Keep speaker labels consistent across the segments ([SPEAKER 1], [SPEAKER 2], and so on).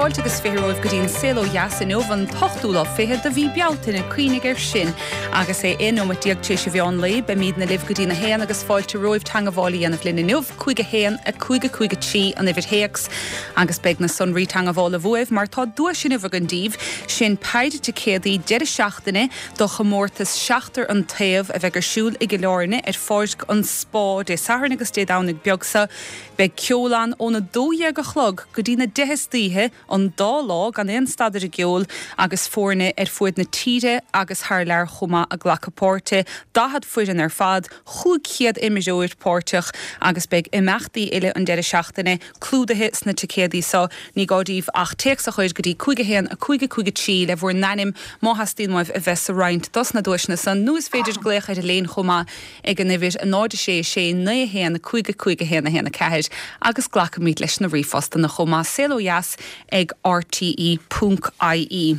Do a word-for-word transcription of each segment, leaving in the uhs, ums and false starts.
[SPEAKER 1] Fáilte agus fiche romhaibh go dtí an Saol Ó Dheas inniu an t-ochtú lá fichead de mhí Bealtaine cuimhnigh air sin agus é aon nóiméad déag tar éis an mheán lae beimidne libh go dtí a haon agus fáilte romhaibh teagmháil a dhéanamh linn inniu cúig a haon a cúig a cúig a trí an uimhir théacs agus beidh na sonraí teagmhála uaibh mar tá duais inniu againn daoibh sin péire ticéadaí deireadh seachtaine do chomórtas seachtar an taobh a bheidh ar siúl i gCill Airne ar pháirc an Spá Dé Sathairn agus Dé Domhnaigh beag seo beidh ceol ann óna dó dhéag a chlog go dtí na deich istoíche an dá lá gan aon stad ar an gceol agus foirne ar fud na tíre agus thar lear chomh maith ag glacadh páirte daichead foireann ar fad cúig chéad imreoir páirteach agus beidh imeachtaí eile an deireadh seachtaine clúdaithe sna ticéadaí seo ní gá daoibh ach téacs a chur go dtí cúig a haon a cúig a cúig a trí le bhur n-ainm má theastaíonn uaibh a bheith sa roinnt dos na duaiseanna san nó is féidir glaoch ar an líne chomh maith ag an uimhir a náid sé sé naoi haon cúig a cúig a haon a haon a ceathair agus glacaimid leis na ríomhphostanna chomh maith saol ó dheas ag RTE ponc IE.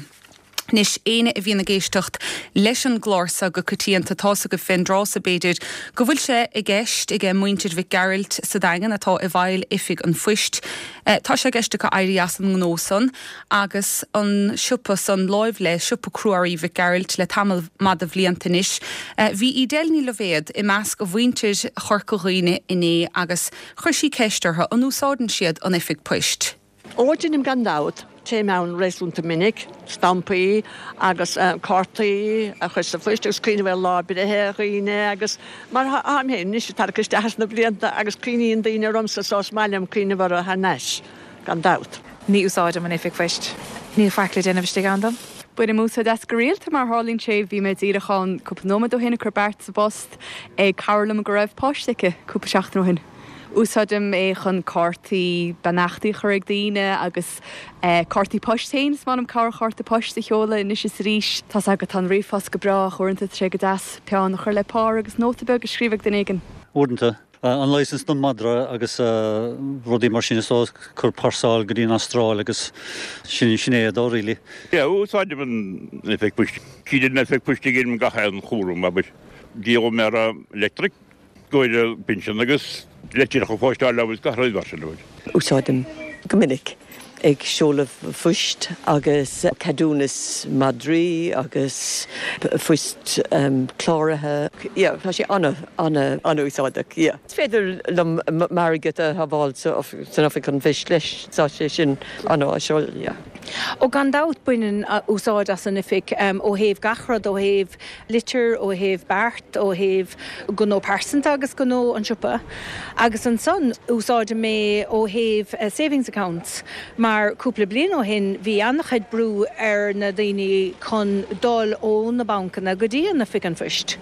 [SPEAKER 1] Anois éinne a bhíonn ag éisteacht leis an gclár seo go coitianta tá fhios agaibh fén dtráth so b'fhéidir go bhfuil sé i gceist ag muintir Mhic Gearailt sa Daingean atá i bhfeighil oifig an phoist. Eh, tá sé i gceist acu éirí as an ngnó san agus an siopa san láimh le siopa cruaí Mhic Gearailt le tamall maith de bhlianta anois. Eh, bhí Edel Ní Loibhéad i measc a mhuintir Chorca Dhuibhne inné agus chuir sí ceist orthu an úsáideann siad an oifig poist.
[SPEAKER 2] Ó déanaim gan dabht téim ann réasúnta minic, stampaí agus uh, cártaí a chur sa phost agus cuimhneamh ar lá breithe dhaoine agus mar táim féin anois tar isteach na blianta agus cuimhníonn daoine ormsa so is maith liom cuimhneamh orthu thar n-ais gan dabht.
[SPEAKER 3] Ní úsáidim an oifig phoist. Níl faic le déanamh istigh ann dom?
[SPEAKER 4] Bainim úsáid as go rialta mar tharlaíonn sé bhí mé díreach ann cúpla nóiméad ó shin ag cur beart sa bpost ag cara liom go raibh páiste aici cúpla seachtain ó shin. Úsáidim é chun cártaí beannachtaí a chur ag daoine agus eh, cártaí poist féin is maith liom cabhairchárta poist a sheoladh anois is arís Tá go tá an ríomhphost go breá uaireanta sé go deas peann a chur le pár agus nóta beag a scríobh ag duine éigin.
[SPEAKER 5] Uaireanta an licence don madra agus rudaí mar sin is cur parcel go dtí an Astráil agus sin sin é dó ri.
[SPEAKER 6] Ja úsáidim an oifig poist. Cíd an oifig poist gin gach aon chúram a dí mé electric goir pinsean agus leitreacha a phóstáil agus gach rud mar sin.
[SPEAKER 7] Úsáidim go minic ag seoladh phoist agus ceadúnas madraí agus phoist um, cláraithe. Yeah, tá sé an- an- an-úsáideach. Yeah. Is féidir liom airgead a shábháil san oifig an phoist leis tá sé sin an-áisiúil. Yeah.
[SPEAKER 8] Ó gan dabht bainim úsáid as an oifig um, ó thaobh gach rud ó thaobh litir ó thaobh beart ó thaobh gnó pearsanta agus gnó an siopa. Agus ansan úsáidim é ó thaobh uh, savings accounts mar cúpla bliain ó shin bhí an-chuid brú ar na daoine chun dul ó na bancanna go dtí an oifig an phoist.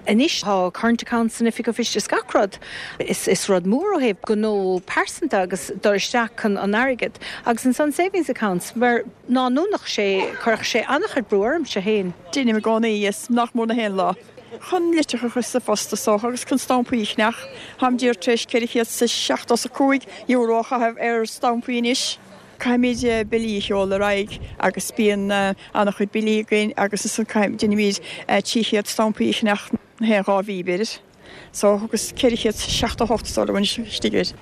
[SPEAKER 8] Anois tá current accounts san oifig an phoist is gach rud. Is, is rud mór ó thaobh gnó pearsanta agus dul isteach chun an airgead agus ansan savings accounts mar ná núnach sé chuirfeadh sé an-chuid brú ormsa féin.
[SPEAKER 9] Déanaim i gcónaí is nach mór na haon lá. Chun litreacha a chur sa phost so agus chun stampaí a cheannach, Táim díreach tar éis ceithre chéad is seachtó a cúig euro a chaitheamh ar stampaí anois. Caithfimid billí a sheoladh ar aghaidh agus bíonn an-chuid billí againn agus is déanaimid trí chéad stampaí a cheannach na haon dhá mhí b'fhéidir. So agus ceithre chéad seachtó hocht so istigh air.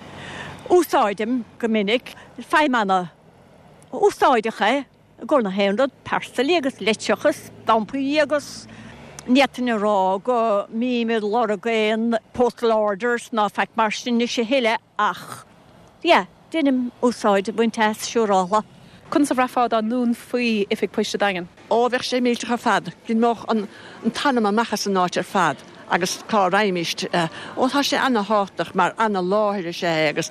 [SPEAKER 10] Úsáidim go minic feidhmeanna úsáideach é gur na haon rud parcel agus litreacha stampaí agus ní féidir a rá go mbím ag lorg aon postal orders ná faic mar sin is eile ach. Ja, déanaim úsáid baint as siúrála.
[SPEAKER 4] Conas a bhraithfeá dá ndúnfaí oifig poist an Daingin?
[SPEAKER 2] Ó bheadh sé millteach ar fad, D'imeodh an t-anam amach as an áit ar fad agus cá raghaimist ó tá sé an-tábhachtach mar an-láthair sé agus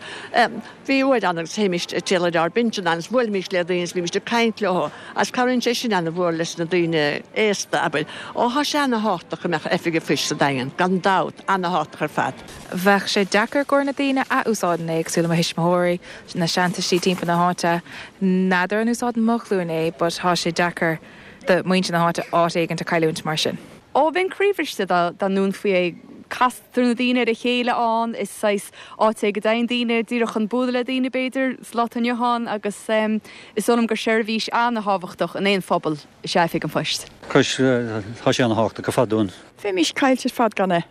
[SPEAKER 2] bhí uair an agus théimist téile ár bintin agus bhuailimist le daoine bhímist ag caint leo as cabhraíonn sé sin an-mhór leis na daoine aosta abair. Ó tá sé an-tábhachtach go mbeadh oifig phoist sa Daingean, gan dabht an-tábhachtach ar fad.
[SPEAKER 3] Bheadh sé deacair do na daoine a úsáideann é cosúil le mo thuismitheoirí na seantuistí timpeall na háite n'fheadar an úsáideann mo ghlúin é, but tá sé deacair do mhuintir na háite áit éigin a chailliúint mar sin.
[SPEAKER 4] Ó bheinn croíbhriste dá dá ndúnfaí é castar na daoine ar a chéile ann is saghas áit é go dtéann daoine díreach chun bualadh le daoine b'fhéidir sa lá inniu ann agus um, is dóigh liom gur seirbhís an-tábhachtach in aon phobal is ea oifig an phoist.
[SPEAKER 5] Cos tá sé an-tábhachtach go fadún.
[SPEAKER 9] Bheimis caillte ar fad gan é.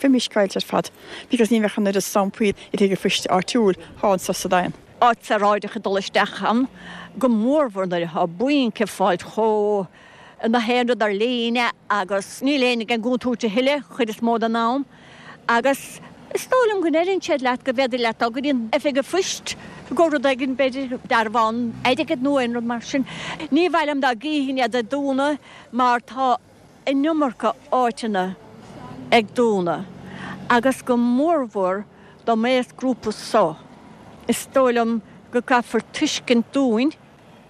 [SPEAKER 9] Bheimis caillte ar fad, because ní bheadh an oiread stampaí i dtigh phoist áitiúil anso sa Daingean.
[SPEAKER 10] áit saoráideach ag dul isteach ann, go mórmhór nuair atá bainc ag fáilt chomh na haon rud ar líne agus níl éinne ag an gcúntúirt a thuilleadh, chuid is mó den am. Agus is dóigh liom go ndeireann siad leat go bhféidir leat dul go dtí an oifig an phoist go rud éigin, b'fhéidir dearbhán airgid nó aon rud mar sin. Ní mhaith liom dá gcífinn iad ag dúnadh mar tá an iomarca áiteanna ag dúnadh agus go mórmhór don aosghrúpa so. Is dóigh liom go gcaithfear tuiscint dúinn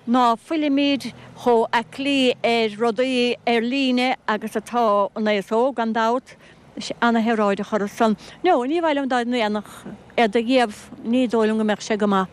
[SPEAKER 10] ná fuilimid chomh aclaí ar rudaí ar líne agus atá an aos óg, gan dabht. Tá sé ana-shaoráideach orthu san. No, ní mhaith liom dá ndéanfadh iad a dhíobh, ní dóigh liom go mbeadh sé go maith.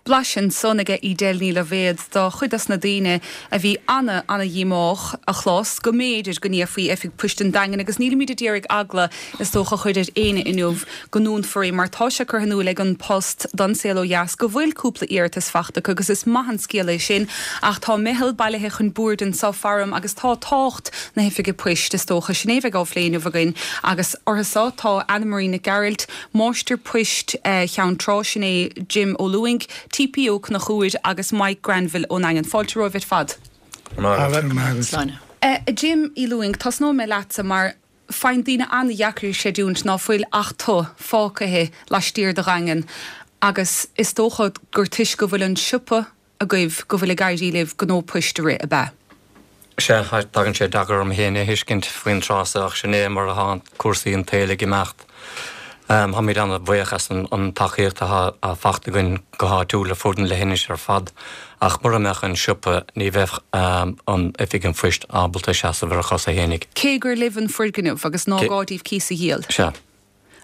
[SPEAKER 1] Blaiseadh ansan aige Edel Ní Loibhéad do chuid dos na daoine a bhí ana, ana-dhíomách a chlos go mb'fhéidir go ndéanfaí Oifig Poist an Daingin agus nílimid a d'iarraidh eagla is dócha a chur ar éinne inniu go ndúnfar é mar tá sé curtha in iúl ag An Post don Saol Ó Dheas go bhfuil cúpla iarratas fachta acu agus is maith an scéal é sin ach tá meitheal bailithe chun boird anso faram agus tá tábhacht na hOifige Poist is dócha sin é a bheidh á phlé inniu againn agus orthu so tá Anna Marie Nic Gearailt, Máistir Poist Cheann Trá, sin é Jim Ó Lúing, TP Ó Conchúir agus Mike Granville ón nDaingean. Fáilte romhaibh ar fad.
[SPEAKER 11] Sláine.
[SPEAKER 1] Jim Uí Lúing, tosnóidh mé leatsa mar faigheann daoine an-dheacair a chreidiúint ná fuil ach tu fágtha laistiar de Dhaingean agus is dócha gur toisc go bhfuil an siopa agaibh go bhfuil ag éirí libh gnó poist a rith, ab ea?
[SPEAKER 11] Sea, tagann sé deacair orm féin é a thuiscint faoin tráth seo ach sin é mar atá cúrsaí an tsaoil ag imeacht. Táimid an-bhuíoch as an tacaíocht atá fachta againn go háitiúil ar fud an leithinis ar fad ach mura mbeadh an siopa ní bheadh an Oifig an Phoist ábalta seasamh ar a chosa fhéinig.
[SPEAKER 1] Cé gur libh an foirgneamh agus ná gá daoibh cíos a dhíol.
[SPEAKER 11] Sea.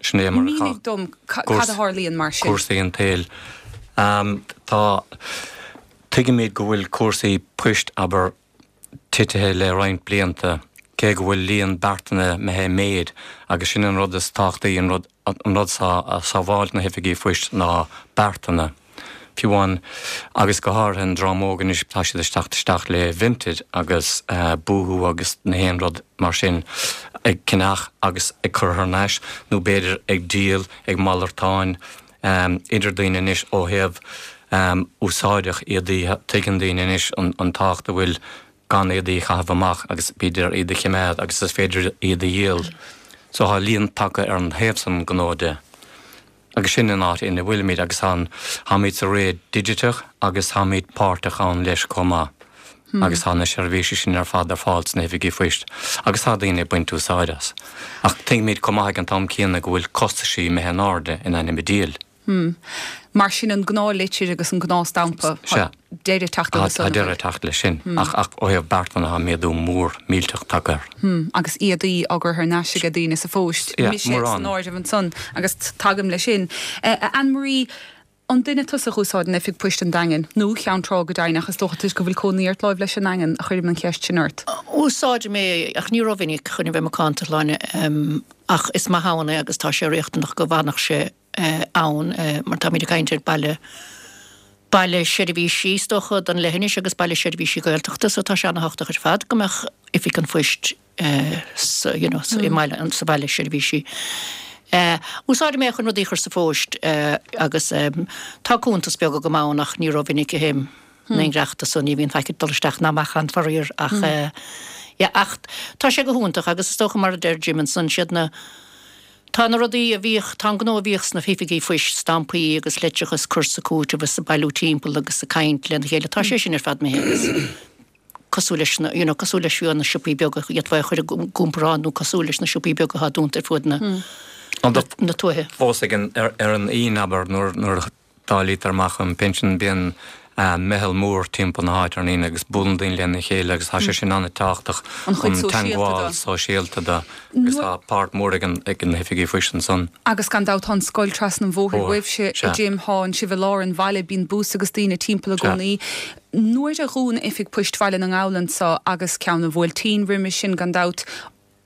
[SPEAKER 11] Sin é mar atá.
[SPEAKER 1] Mínigh dom cad a tharlaíonn mar sin.
[SPEAKER 11] Cúrsaí an tsaoil. Tá, tuigimid go bhfuil cúrsaí poist, abair, titithe le roinnt blianta, cé go bhfuil líon beartanna imithe i méid, agus sin an rud is tábhachtaí, an rud an rud atá ag sábháilt na hoifigí phoist ná beartanna. Fiú amháin, agus go háirithe an dream óg anois, tá siad ag teacht isteach le Vinted agus Boohoo agus na haon rud mar sin, ag ceannach agus ag cur thar n-ais, nó b'fhéidir ag díol, ag malartáin idir daoine anois ó thaobh úsáideach éadaí, tuigeann daoine anois an tábhacht a bhfuil gan éadaí a chaitheamh amach agus b'fhéidir iad a chimeád agus is féidir iad a dhíol. So tá líon tagtha ar an thaobh san gnó de. Agus sin an áit ina bhfuilimid agus tá, táimid sa ré digiteach agus táimid páirteach ann leis chomh maith. Agus tá na seirbhísí sin ar fad ar fáil sna hoifigí phoist agus tá daoine ag baint úsáid as. Ach tuigimid chomh maith ag an t-am céanna go bhfuil costaisí imithe in airde in ainm an diabhail.
[SPEAKER 1] Hmm. Mar sin an gnáthlitir agus an gnáthstampa,
[SPEAKER 11] Sea.
[SPEAKER 1] deireadh ag teacht
[SPEAKER 11] Tá
[SPEAKER 1] leo san,
[SPEAKER 11] tá deireadh ag teacht leis sin. Ach ach ó thaobh beartanna tá méadú mór millteach tagtha air.
[SPEAKER 1] Hmm. Agus éadaí á gcur thar n-ais ag daoine sa phost.
[SPEAKER 11] Yeah,
[SPEAKER 1] Mise san
[SPEAKER 11] mórán.
[SPEAKER 1] áireamh ansan agus tagaim leis sin. Eh, Anne Marie, an duine tusa a úsáideann Oifig Poist an Daingin, nó Cheann Trá go deimhin ach is dócha toisc go bhfuil cónaí ort láimh leis an nDaingean a chuirim an cheist sin ort.
[SPEAKER 12] Úsáidim é ach ní rómhinic chun a bheith macánta Shláine, ach is maith ann é agus tá sé riachtanach go bhfanfadh sé ann mar táimid ag caint ar baile baile seirbhísí is dócha don leithinis agus baile seirbhísí Gaeltachta so tá sé an-tábhachtach ar fad go mbeadh Oifig an Phoist sa you know i mbaile sa bhaile seirbhísí. Úsáidim é chun rudaí a chur sa phost agus tá cuntas beag agam ann ach ní rómhinic a théim na ngreachta so ní bhíonn faic ag dul isteach ná amach ann faraor ach yeah ach tá sé go hiontach agus is dócha mar a deir Jim ansan siad na tá na rudaí a bhíodh tá an gnó a bhíodh sna hoifigí phoist stampaí agus leitreacha cur sa cúiteamh agus bailiú timpeall agus ag caint lena chéile tá sé sin ar fad imithe agus cosúil leis na you know cosúil leis fiú na siopaí beaga iad a chur i gcomparáid nó cosúil leis na siopaí beaga atá dúnta ar fud na na tuaithe.
[SPEAKER 11] Fós ag an ar ar an Aoine abair nuair nuair a dáilítear amach an pinsean bíonn meitheal mór timpeall na háite ar an Aoine agus buaileann daoine lena chéile agus tá sé sin an-tábhachtach
[SPEAKER 1] An chuid
[SPEAKER 11] an
[SPEAKER 1] sóisialta
[SPEAKER 11] teagmháil
[SPEAKER 1] de.
[SPEAKER 11] sóisialta de agus tá páirt mhór ag an ag na hoifigí phoist ansan.
[SPEAKER 1] Agus gan dabht tá an scoil trasna an bhóthair
[SPEAKER 11] Bóthar,
[SPEAKER 1] uaibhse
[SPEAKER 11] sea.
[SPEAKER 1] a Jim thánn sibh i lár an bhaile bíonn bús agus daoine timpeall i
[SPEAKER 11] Sea.
[SPEAKER 1] gcónaí. Nuair a dhún Oifig Poist Bhaile na nGall anso agus ceann an Bhuailtín roimhe sin gan dabht,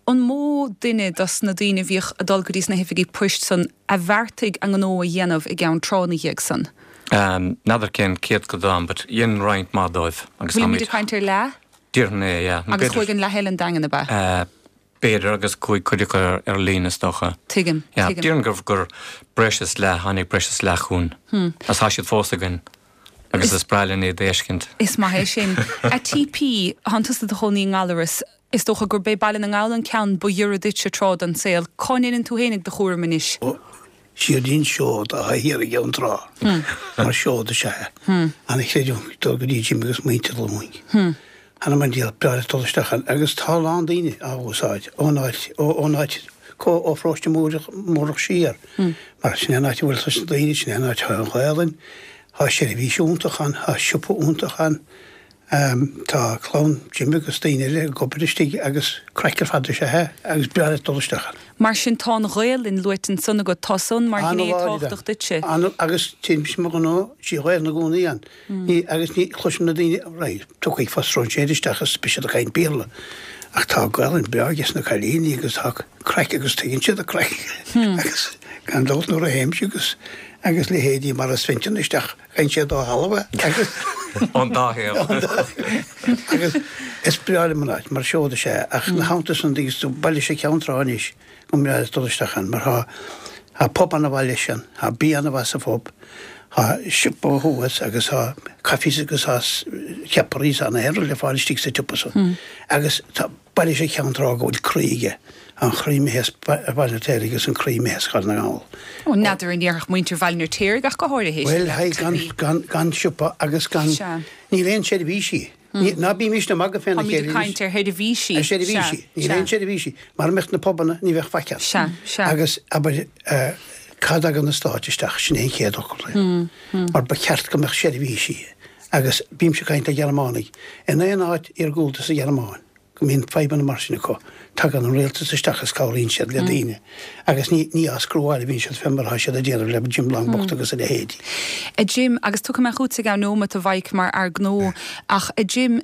[SPEAKER 1] an mó duine dos na daoine a bhíodh ag dul go dtí sna hoifigí poist san a bheartaigh a ngnó a dhéanamh i gCeann Trá ina dhiaidh san?
[SPEAKER 11] N'fheadar cén céatadán but dhein roinnt mhaith dóibh agus
[SPEAKER 1] Bhfuilimid
[SPEAKER 11] táimid
[SPEAKER 1] ag caint ar leath?
[SPEAKER 11] Déarfainn é, yeah.
[SPEAKER 1] Agus chuaigh an leath eile an Daingean, ab ea?
[SPEAKER 11] B'fhéidir agus chuaigh cuid acu ar líne is dócha.
[SPEAKER 1] Tuigim,
[SPEAKER 11] Yeah,
[SPEAKER 1] tuigim.
[SPEAKER 11] Déarfainn gur gur breis is leath, tháinig breis is leath chugainn.
[SPEAKER 1] Hmm.
[SPEAKER 11] Agus tá siad fós againn. Agus is breá linn iad a fheiscint.
[SPEAKER 1] Is maith é sin. A TP, thánn tusa i do chónaí i nGallaras, is dócha gurb é Baile na nGall an ceann ba ghiorra duitse tráth den saol. Cá ndéanann tú fhéinig do chúram anois?
[SPEAKER 13] Siad an seod atá thiar i gCeann Trá. Mar seod is ea é. An-chreidiúint dul go dtí Jim agus muintir Luing. Th'anam 'on diabhal, breá leat dul isteach ann agus tá a lán daoine á úsáid ón áit, ón áit, ó Pharóiste Múrach siar. Mar sin é an áit a bhfuil leis na daoine, sin é an áit atá an Ghaelainn, tá seirbhís iontach ann, tá siopa iontach ann. Tá clann Jim agus daoine eile ag obair istigh agus craic ar fad is ea é agus breá leat dul isteach ann.
[SPEAKER 1] Mar sin tá an Ghaelainn luaite ansan agat, tá san mar ghné tábhachtach duitse.
[SPEAKER 13] Agus téimse mar ghnáth trí Ghaelainn i gcónaí ann. Ní agus ní chloisim na daoine, right, tiocfaidh fá stróinséir isteach agus beidh siad ag caint Béarla. Ach tá Gaelainn breá ages na cailíní agus tá craic agus tuigeann siad an craic agus gan dabht nuair a théimse agus agus leithéidí mar a Sventon isteach gheibheann siad ó thalamh é agus
[SPEAKER 11] Ón dá thaobh.
[SPEAKER 13] agus is breá liom an áit mar seod is ea ach ina theannta san agus tú baile sé Ceann Trá anois go mbreá leat dul isteach ann mar tá tá pub ana-mhaith leis ann, tá bia ana-mhaith sa phub, tá siopa thuas agus tá cafés agus tá ceapairí is tá na haon rud le fáil istigh sa tsiopa san. Agus tá baile sé Ceann Trá go bhfuil croí aige, an croí imithe as Baile an Fheirtéaraigh agus an croí imithe as Cathair na nGall.
[SPEAKER 1] Ó, n'fheadar an ndéarfadh muintir Bhaile an Fheirtéaraigh ach go háirithe.
[SPEAKER 13] Bhuel, hei, gan, gan, gan siopa agus gan, níl aon seirbhísí. Ní, ná bímis ag magadh féna
[SPEAKER 1] Táimid
[SPEAKER 13] chéile
[SPEAKER 1] ag caint ar sheirbhísí.
[SPEAKER 13] Ar seirbhísí. Níl aon seirbhísí. Mara mbeadh na pubanna, ní bheadh faic ann.
[SPEAKER 1] Sea, sea.
[SPEAKER 13] Agus, abair, eh, cá dtagann an stát isteach, sin é an chéad fhocal é. Mar ba cheart go mbeadh seirbhísí. Agus bímse ag caint le Gearmánaigh. In aon áit iargúlta sa Ghearmáin, go mbíonn fadhbanna mar sin acu, tagann an rialtas isteach is cabhraíonn siad le daoine. Agus ní, ní á screwáil a bhíonn siad fé mar atá siad ag déanamh le Jim Long bocht agus a leithéidí.
[SPEAKER 1] A Jim, agus tiocfaidh mé chugatsa i gceann nóiméad a Mhaidhc mar fhear gnó, ach a Jim,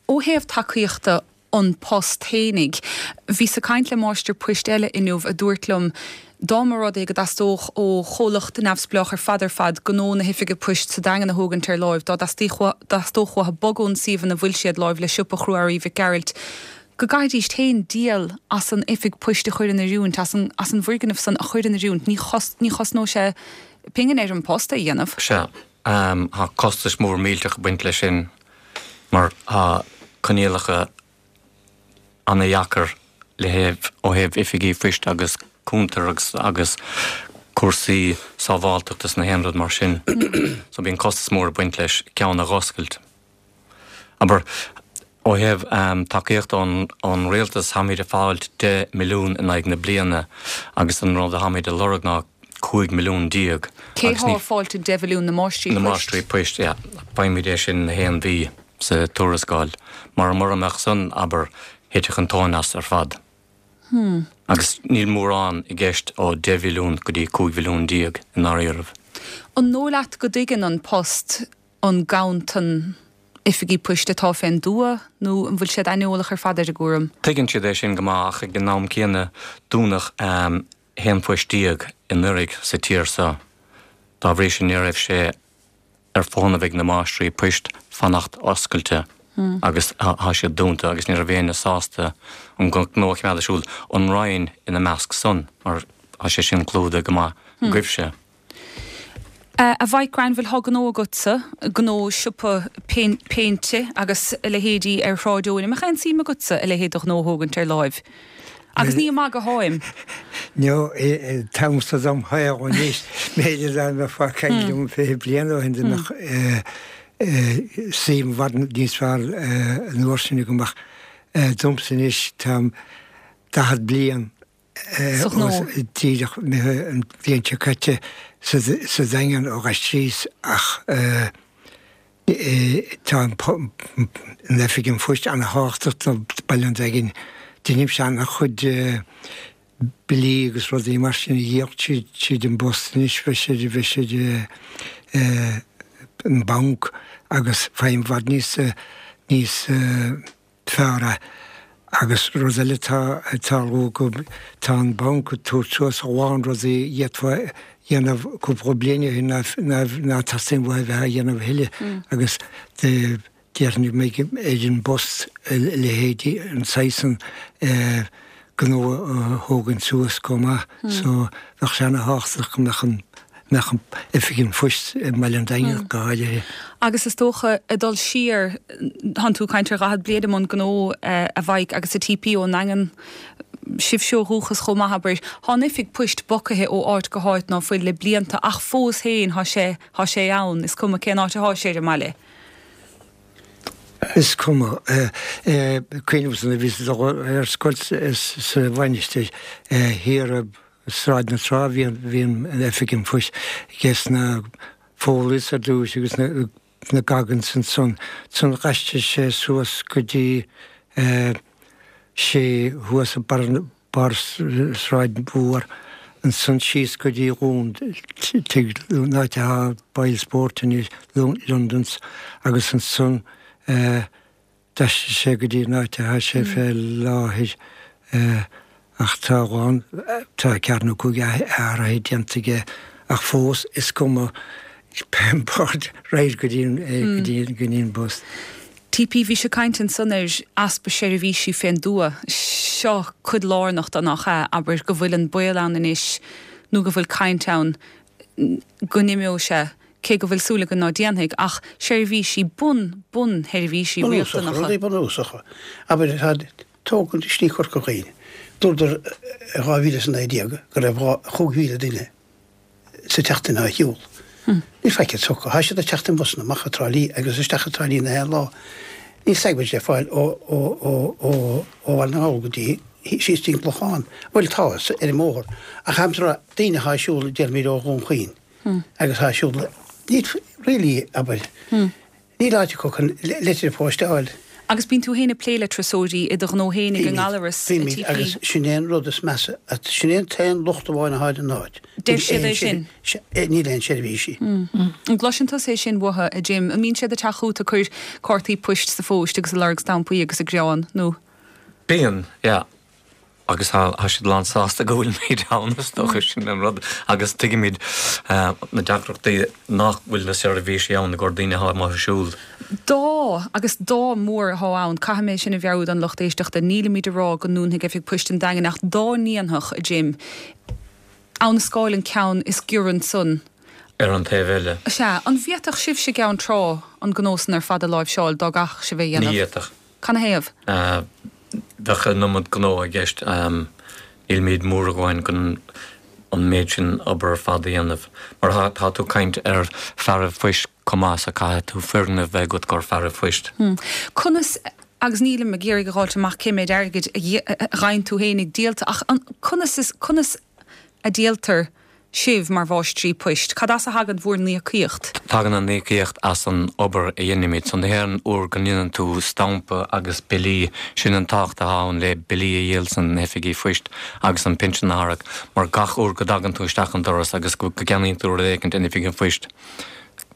[SPEAKER 1] ó thaobh tacaíochta An Post fhéinig, bhíos ag caint le máistir poist eile inniu a dúirt liom dá mba rud é go dteastódh ó chomhlacht neamhspleách ar fad ar fad gnó na hoifige poist sa Daingean a thógaint ar láimh, dá dteastódh uathu bogadh ón suíomh ina bhfuil siad láimh le siopa chrua-earraí Mhic Gearailt, go gcaithfidís féin díol as an oifig poist a chur in oiriúint, as an as an bhfoirgneamh san a chur in oiriúint. Ní ní chosnódh sé pingin ar An Post é a dhéanamh.
[SPEAKER 11] Sea. Tá costas mór millteach ag baint leis sin mar tá coinníollacha ana-dheacair le thaobh ó thaobh oifigí phoist agus cuntar agus agus cúrsaí sábháilteachta is na haon rud mar sin. So bíonn costas mór ag baint leis ceann a dh'oscailt. Abair, ó thaobh tacaíochta ón ón rialtas táimid ag fáilt deich milliún in aghaidh na bliana agus an rud a tháimid a lorg ná cúig milliún déag
[SPEAKER 1] Cé
[SPEAKER 11] agus
[SPEAKER 1] thá
[SPEAKER 11] ní
[SPEAKER 1] ag fáilt an deich mhilliún na máistrí
[SPEAKER 11] Na
[SPEAKER 1] poist?
[SPEAKER 11] máistrí poist, yeah. Faighimid é sin na haon mhí sa tuarascáil. Mar mura mbeadh san, abair, thitfeadh an tóin as ar fad.
[SPEAKER 1] Hmm.
[SPEAKER 11] Agus níl mórán i gceist ó deich mhilliún go dtí cúig mhilliún déag i ndáiríribh.
[SPEAKER 1] An dóigh leat go dtuigeann An Post an ganntan oifigí poist atá fén dtuath nó an bhfuil siad aineolach ar fad ar an gcúram?
[SPEAKER 11] Tuigeann siad é sin go maith ach ag an am céanna dúnadh haon phoist déag anuraidh sa tír seo. Dá bhrí sin ní raibh sé ar fónamh ag na máistrí poist fanacht oscailte agus tá siad dúnta agus ní raibh éinne sásta an gnó a choimeád ar siúl, an Roinn ina measc san, mar tá sé sin clúdaithe go maith agaibhse.
[SPEAKER 1] A Mhaidhc Granville, thá gnó agatsa, gnó siopa péinte agus a leithéidí ar Shráid Eoin. An mbeadh aon suim agatsa a leithéid de ghnó a thógaint ar láimh? Agus ní ag magadh atáim.
[SPEAKER 14] No, táimse dom shaol anois, b'fhéidir dá mbeifeá ag caint liom fiche bliain ó shin dá mbeadh suim i bhfad níos fearr an uair sin agam ach domsa anois táim daichead bliain
[SPEAKER 1] Sa ghnó.
[SPEAKER 14] díreach imithe an bhliain seo caite sa Daingean ó d'aistríos ach tá an oifig an phoist ana-thábhachtach do Baile an Daingin. Deinimse ana-chuid billí agus rudaí mar sin a dhíol tríd an bpost anois, bheadh siad, bheadh siad an banc agus faighim i bhfad níos, níos fearr é. Agus rud eile atá ag tarlú go, tá an banc ag tabhairt suas a lán rudaí a d'fhéadfá a dhéanamh cúpla bliain ó shin ná teastaíonn uathu a bheith á dhéanamh a thuilleadh agus déarfainn go mbeidh ar an bpost a leithéidí an saghas san gnó a thógaint suas chomh maith so bheadh sé ana-thábhachtach go mbeadh an mbeadh an oifig an phoist i mBaile an Daingin go háirithe.
[SPEAKER 1] Agus is dócha ag dul siar, thánn tú ag caint ar dhaichead bliain i mbun gnó a Mhaidhc agus a TP ón nDaingean, sibhse ó dhúchas chomh maith abair, thá an oifig poist bogtha ó áit go háit ná fuil le blianta ach fós féin thá sé, thá sé ann, is cuma cén áit athá sé ar an mbaile.
[SPEAKER 14] Is cuma. Cuimhním nuair a bhíos ag dul ar scoil sa Mhainistir thiar i Sráid na Trá bhí an oifig an phoist ages na Foleys ar dtús agus na Goggins ansan. Ansan d'aistrigh sé suas go dtí sé thuas i barr Sráid Mhór, ansan síos go dtí Dhún tigh an áit atá Boyle Sport anois, London's, agus ansan d'aistrigh sé go dtí an áit atá sé fé láthair ach tá a lán, tá ceathair nó cúig athraithe déanta aige ach fós is cuma pé bord raghair go dtí go dtí an bpost.
[SPEAKER 1] TP, Bhís ag caint ansan ar easpa seirbhísí fén dtuath. Seo cuid lárnach de nach ea? Abair go bhfuil an baol ann anois nó go bhfuil caint ann go n-imeoidh sé, cé go bhfuil súil againn ná déanfaidh, ach seirbhísí, bun, bunsheirbhísí
[SPEAKER 13] Bunúsacha,
[SPEAKER 1] riachtanacha.
[SPEAKER 13] rudaí bunúsacha. Abair, tá tógaint i Slí Chorca Dhuibhne. Dúradar i dhá mhíle is a naoi déag go raibh dhá, chúig mhíle duine sa tseachtain á shiúl. Níl faic tugtha. Tá siad ag teacht i mbusanna amach as Trá Lí agus isteach i dTrá Lí na haon lá. Níl searbhís le fáil ó ó Bhaile na nGall go dtí síos dtí an Clochán. Bhuel tá, ar an mbóthar. Ach aimsir daoine atá ag siúl déarfaimid ó Dhún Chaoin agus atá ag siúl níl really abair. Níl áit acu chun litir phoist a fháil.
[SPEAKER 1] Agus bíonn tú féin ag plé le turasóirí i do ghnó féin ag an nGallarus, a
[SPEAKER 13] Bímid,
[SPEAKER 1] TP.
[SPEAKER 13] agus sin é an rud is measa, sin é an t-aon locht amháin atá ar an áit.
[SPEAKER 1] Deir siad é sin?
[SPEAKER 13] Níl aon seirbhísí.
[SPEAKER 1] An gcloiseann tusa é sin uathu, a Jim? An mbíonn siad ag teacht chugat ag cur cártaí poist sa phost agus ag lorg stampaí agus ag gearán, nó?
[SPEAKER 11] Bíonn, yeah. Agus tá siad lán sásta go bhfuilimid ann, is dócha, sin an rud. Agus tuigimid na deacrachtaí nach bhfuil na seirbhísí ann i gcomhair daoine atá amuigh ag siúl.
[SPEAKER 1] Dá, agus dá mór atá ann, caithfidh mé sin a mheabhrú don lucht éisteachta, nílimid ag rá go ndúnfaidh Oifig Poist an Daingin ach dá ndéanfadh, a Jim, Abha na Scáil an ceann is giorra ansan.
[SPEAKER 11] Ar an taobh eile.
[SPEAKER 1] Sea, an bhféadfadh sibhse i gCeann Trá an gnó san ar fad a láimhseáil dá gcaithfeadh sibh é a
[SPEAKER 11] Ní
[SPEAKER 1] dhéanamh?
[SPEAKER 11] fhéadfadh.
[SPEAKER 1] Canathaobh?
[SPEAKER 11] Bheadh an iomad gnó i gceist. Nílimid mór againn chun an méid sin obair ar fad a dhéanamh. Mar tá tú ag caint ar fearaibh phoist chomh maith so caithfidh tú foirgneamh bheith agat i gcomhair fearaibh phoist.
[SPEAKER 1] Conas, agus nílim ag iarraidh a dh'fháilt amach cé méid airgid a gheibheann tú fhéinig díolta, ach conas is, conas a díoltar sibh mar mháistrí poist? Cad as a thagann bhur n-íocaíocht?
[SPEAKER 11] Tagann an íocaíocht as an obair a dhéanaimid. So na haon uair go ndéanann tú stampa agus billí, sin an tábhacht atá ann le billí a dhíol san oifigí phoist agus an pinsean a tharrac, mar gach uair go dtagann tú isteach an doras agus go gceannaíonn tú rud éicint in oifig an phoist,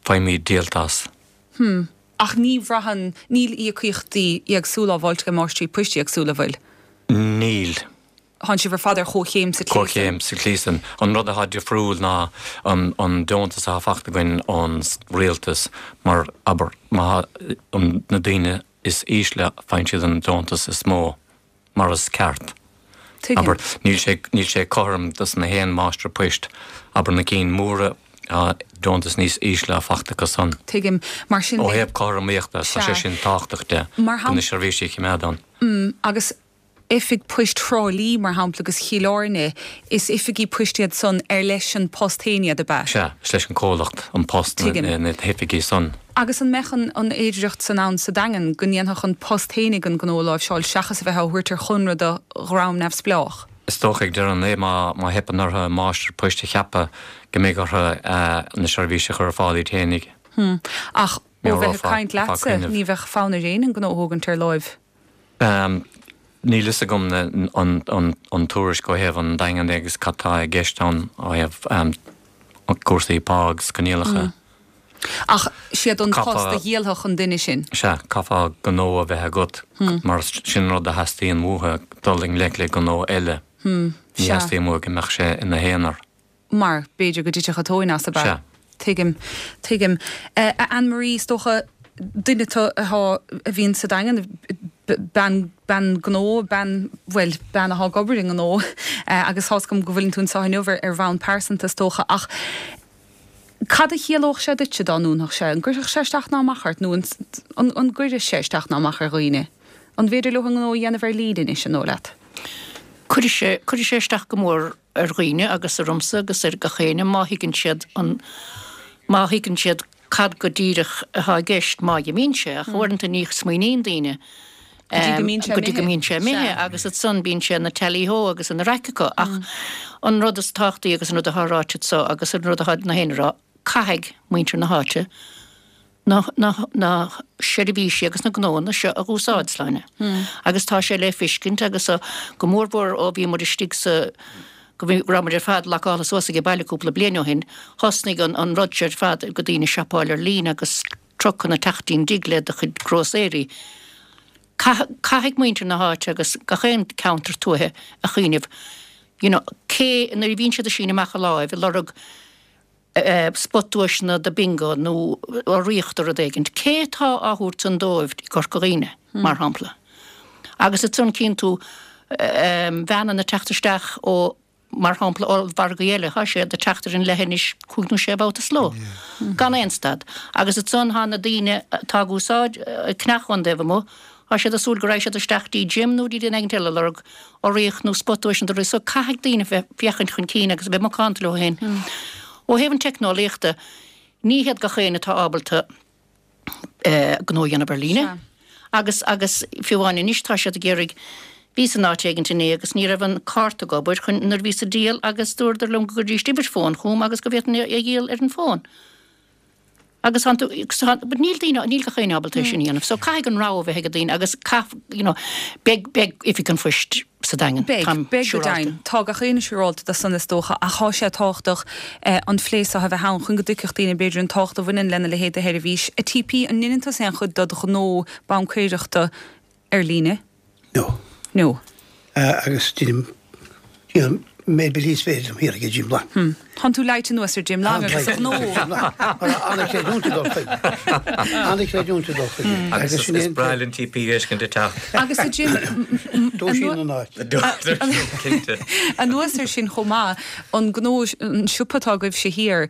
[SPEAKER 11] faighimid díolta as.
[SPEAKER 1] Hm. Ach ní bhraitheann, níl íocaíochtaí éagsúla á bhfáilt ag máistrí poist éagsúla, bhfuil?
[SPEAKER 11] Níl.
[SPEAKER 1] Tánn sibh ar fad ar chomhchéim sa tslí san.
[SPEAKER 11] Comhchéim sa tslí san. An rud atá difriúil ná an deontas atá fachta againn ón rialtas mar, abair, má tá na daoine is ísle faigheann siad an deontas is mó, mar is ceart.
[SPEAKER 1] Tuigim.
[SPEAKER 11] Abair, níl sé, níl sé cothrom dos na haon máistir poist, abair na cinn móra, tá deontas níos ísle fachta acu san.
[SPEAKER 1] Tuigim. Mar sin
[SPEAKER 11] Ó
[SPEAKER 1] de.
[SPEAKER 11] thaobh cothromaíochta, tá sé
[SPEAKER 1] Sea.
[SPEAKER 11] sin tábhachtach de,
[SPEAKER 1] Mar
[SPEAKER 11] chun na seirbhísí a choimeád ann.
[SPEAKER 1] Mm, agus Oifig Poist Thrá Lí, mar shampla, agus Chill Airne, is oifigí poist iad san ar leis an Post féin iad, ab ea?
[SPEAKER 11] Sea, is leis an comhlacht, An Post,
[SPEAKER 1] Tuigim.
[SPEAKER 11] na hoifigí san.
[SPEAKER 1] Agus an mbeadh an an fhéidireacht san ann sa Daingean go ndéanfadh an Post fhéinig an gnó a láimhseáil seachas a bheith á thabhairt ar chonradh do dhream neamhspleách?
[SPEAKER 11] Is dócha ag deireadh an lae má má theipeann orthu máistir poist a cheapadh go mbeidh orthu na seirbhísí a chur ar fáil iad fhéinig.
[SPEAKER 1] Hm. Ach ó bheith ag
[SPEAKER 11] Meabhrófá
[SPEAKER 1] caint
[SPEAKER 11] fá
[SPEAKER 1] leatsa,
[SPEAKER 11] cuimhneamh.
[SPEAKER 1] ní bheadh fonn ar éinne an gnó a thógaint ar láimh.
[SPEAKER 11] Níl fhios agam an tuairisc ó thaobh an Daingin de agus cad tá i gceist ann ó thaobh cúrsaí pá agus coinníollacha.
[SPEAKER 1] Ach siad An Post a dhíolfadh an duine sin.
[SPEAKER 11] Sea, caithfeá gnó a bheith agat mar sin an rud a theastaíonn uathu, dul i ngleic le gnó eile. Ní theastaíonn uathu go mbeadh sé ina aonar.
[SPEAKER 1] Mar b'fhéidir go dtitfeadh an tóin as, ab ea?
[SPEAKER 11] Sea.
[SPEAKER 1] Tuigim. Tuigim. A Anne Marie, is dócha, duine tú atá, a bhíonn sa Daingean, bean, bean gnó, bean, bhuel, bean atá ag obair i ngnó, agus tá's agam go bhfuileann tú anseo inniu ar, ar bhonn pearsanta is dócha, ach cad a chiallódh sé duitse dá ndúnfadh sé? An gcuirfeadh sé isteach ná amach ort nó an, an, an gcuireadh sé isteach ná amach ar dhaoine? An bhféidir leo a ngnó a dhéanamh ar líne anois, an dóigh leat?
[SPEAKER 12] Cuirfidh sé, cuirfidh sé isteach go mór ar dhaoine agus ormsa agus ar gach éinne má thuigeann siad an, má thuigeann siad cad go díreach atá i gceist má imíonn sé, ach uaireanta ní smaoiníonn daoine go dtí go mbíonn sé imithe agus ansan bíonn sé ina tally-ho agus ina raic acu. Ach an rud is tábhachtaí agus an rud atá ráite anso agus an rud atá na héinne a rá, caithfidh muintir na háite na, na, na seirbhísí agus na gnóanna seo a úsáid, Sláine. Agus tá sé le feiscint agus go mórmhór ó bhí muid istigh sa, go raibh muid ar fad lockáilte suas age baile cúpla bliain ó shin, thosnaigh an an rud seo ar fad go daoine siopáil ar líne agus trucanna teacht dtí'n dtigh le do chuid grósaeirí. Caithfidh muintir na háite agus gach aon ceantar tuaithe a chuimhneamh, you know, cé, nuair a bhíonn siad ag síneadh amach a láimh ag lorg spotduaiseanna do bingo nó urraíocht do rud éigin, cé atá á thabhairt san dóibh i gCorca Dhuibhne, mar shampla? Agus ansan cíonn tú veaineanna ag teacht isteach ó, mar shampla, ollmhargaí eile, tá siad ag teacht ar an leithinis cúig nó sé bhabhta sa ló, gan aon stad. Agus ansan tá na daoine atá ag úsáid, ag ceannach ón dtaobh amuigh, tá siad ag súil go raghaidh siad isteach dtí Jim nó dtí duine éigin eile ag lorg urraíocht nó spotduaiseanna do rudaí. So caithfidh daoine bheith féachaint chun cinn agus a bheith macánta leo féin. Ó thaobh an teicneolaíochta, ní hiad gach éinne atá ábalta gnó a dhéanamh ar líne. Agus, agus fiú amháin anois tá siad ag iarraidh, bhíos in áit éigint inné agus ní raibh an cárta ag obair chun, nuair a bhíos ag díol agus dúradar liom go gcuiridís uimhir fóin chugam agus go bhféadfainn é a dhíol ar an bhfón. Agus tá tú, but níl daoine, níl gach éinne ábalta é sin a dhéanamh. So caithfidh an rogha bheith ag daoine agus caith, you know, beidh, beidh Oifig an Phoist sa Daingean.
[SPEAKER 1] Beidh,
[SPEAKER 12] Táim
[SPEAKER 1] beidh go
[SPEAKER 12] siúrálta.
[SPEAKER 1] deimhin. Tá gach éinne siúrálta de san is dócha ach tá sé tábhachtach an phlé seo a bheith ann chun go dtuigfeadh daoine b'fhéidir an tábhacht a bhaineann lena leithéid de sheirbhís. A TP, an ndéanann tusa aon chuid dod ghnó baincéireachta ar líne?
[SPEAKER 13] No.
[SPEAKER 1] No.
[SPEAKER 13] Agus déanaim, déanaim méid billí is féidir liom thiar ag Jim Long.
[SPEAKER 1] Hmm. Tánn tú leáite anuas ar Jim Long agus a ghnó.
[SPEAKER 13] An-chreidiúint ag dul chuige. An-chreidiúint ag dul chuige.
[SPEAKER 11] Agus is is breá linn TP a fheiscint ag teacht.
[SPEAKER 1] Agus a Jim,
[SPEAKER 13] Dúisíonn an áit.
[SPEAKER 11] Cinnte.
[SPEAKER 1] Anuas air sin chomh maith, an gnó, an siopa atá agaibhse thiar,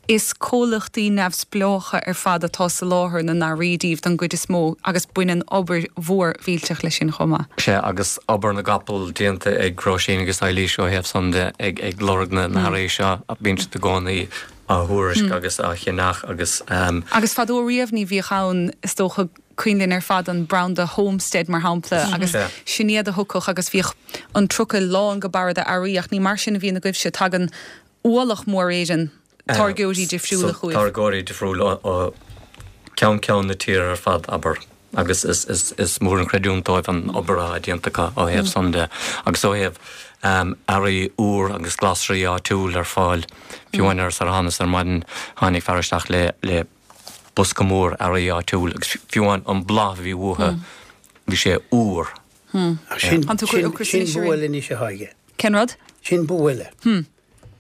[SPEAKER 1] Is comhlachtaí neamhspleácha ar fad atá ag soláthar na n-earraí daoibh don gcuid is mó agus baineann obair mhór mhillteach leis sin chomh maith.
[SPEAKER 11] Sea, agus obair na gcapall déanta ag Róisín agus Eilís ó thaobh san de, ag ag lorg na n-earraí seo, bíonn siad i gcónaí á thuairisc agus á cheannach agus.
[SPEAKER 1] Agus fadó riamh ní bhíodh ann, is dócha, cuimhin linn ar fad an branda Homestead mar shampla agus sin iad a thiocfadh agus bhíodh an trucail lán go barra d'earraí ach ní mar sin a bhíonn agaibhse, tagann ualach mór Éireann táirgeoirí difriúla chugaibh.
[SPEAKER 11] Táirgeoirí difriúla ó cheann ceann na tíre ar fad, abair, agus is mór an chreidiúint dóibh an obair atá déanta acu ó thaobh san de agus ó thaobh earraí úr agus glasraí áitiúil ar fáil. Fiú amháin ar ar thánas ar maidin tháinig fear isteach le le bosca mór earraí áitiúil agus fiú amháin an bláth a bhí uathu bhí sé úr.
[SPEAKER 13] Sin sin bua eile anois atá aige.
[SPEAKER 1] Cén rud?
[SPEAKER 13] Sin bua eile.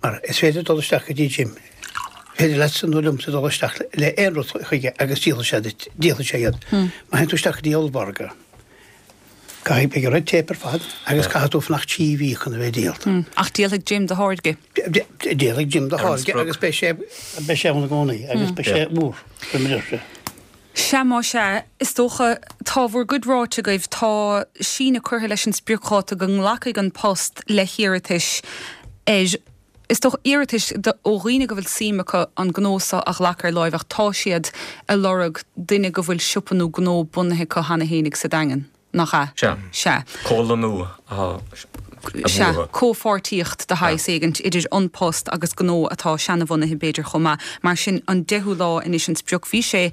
[SPEAKER 13] Mar is féidir dul isteach go dtí Jim, is féidir leatsa nó liomsa dul isteach le aon rud chuige agus díolfaidh sé duit, díolfaidh sé iad. Má théann tú isteach go dtí ollmhargadh, caithfidh, beidh red tape ar fad agus caithfidh tú fanacht trí mhí chun a bheith díolta.
[SPEAKER 1] Ach díolfaidh Jim do tháirge.
[SPEAKER 13] Díolfaidh Jim do tháirge agus beidh sé, beidh sé ann i gcónaí agus beidh sé úr, faoi mar a deir sé.
[SPEAKER 1] Sea, más ea, is dócha, tá bhur gcuid ráite agaibh, tá síneadh curtha leis an spriocdháta go nglacfaidh An Post le hiarratais ar, is dócha, iarratais ó dhaoine go bhfuil suim acu an gnó seo a ghlacadh ar láimh ach tá siad ag lorg duine go bhfuil siopa nó gnó bunaithe acu cheana fhéinig sa Daingean. Nach ea?
[SPEAKER 11] Sea.
[SPEAKER 1] Sea.
[SPEAKER 11] Comhlánú atá
[SPEAKER 1] Sea,
[SPEAKER 11] uathu.
[SPEAKER 1] comhpháirtíocht de shaghas éigint idir An Post agus gnó atá seanabhunaithe b'fhéidir chomh maith. Mar sin, an deichiú lá anois an sprioc. Bhí sé,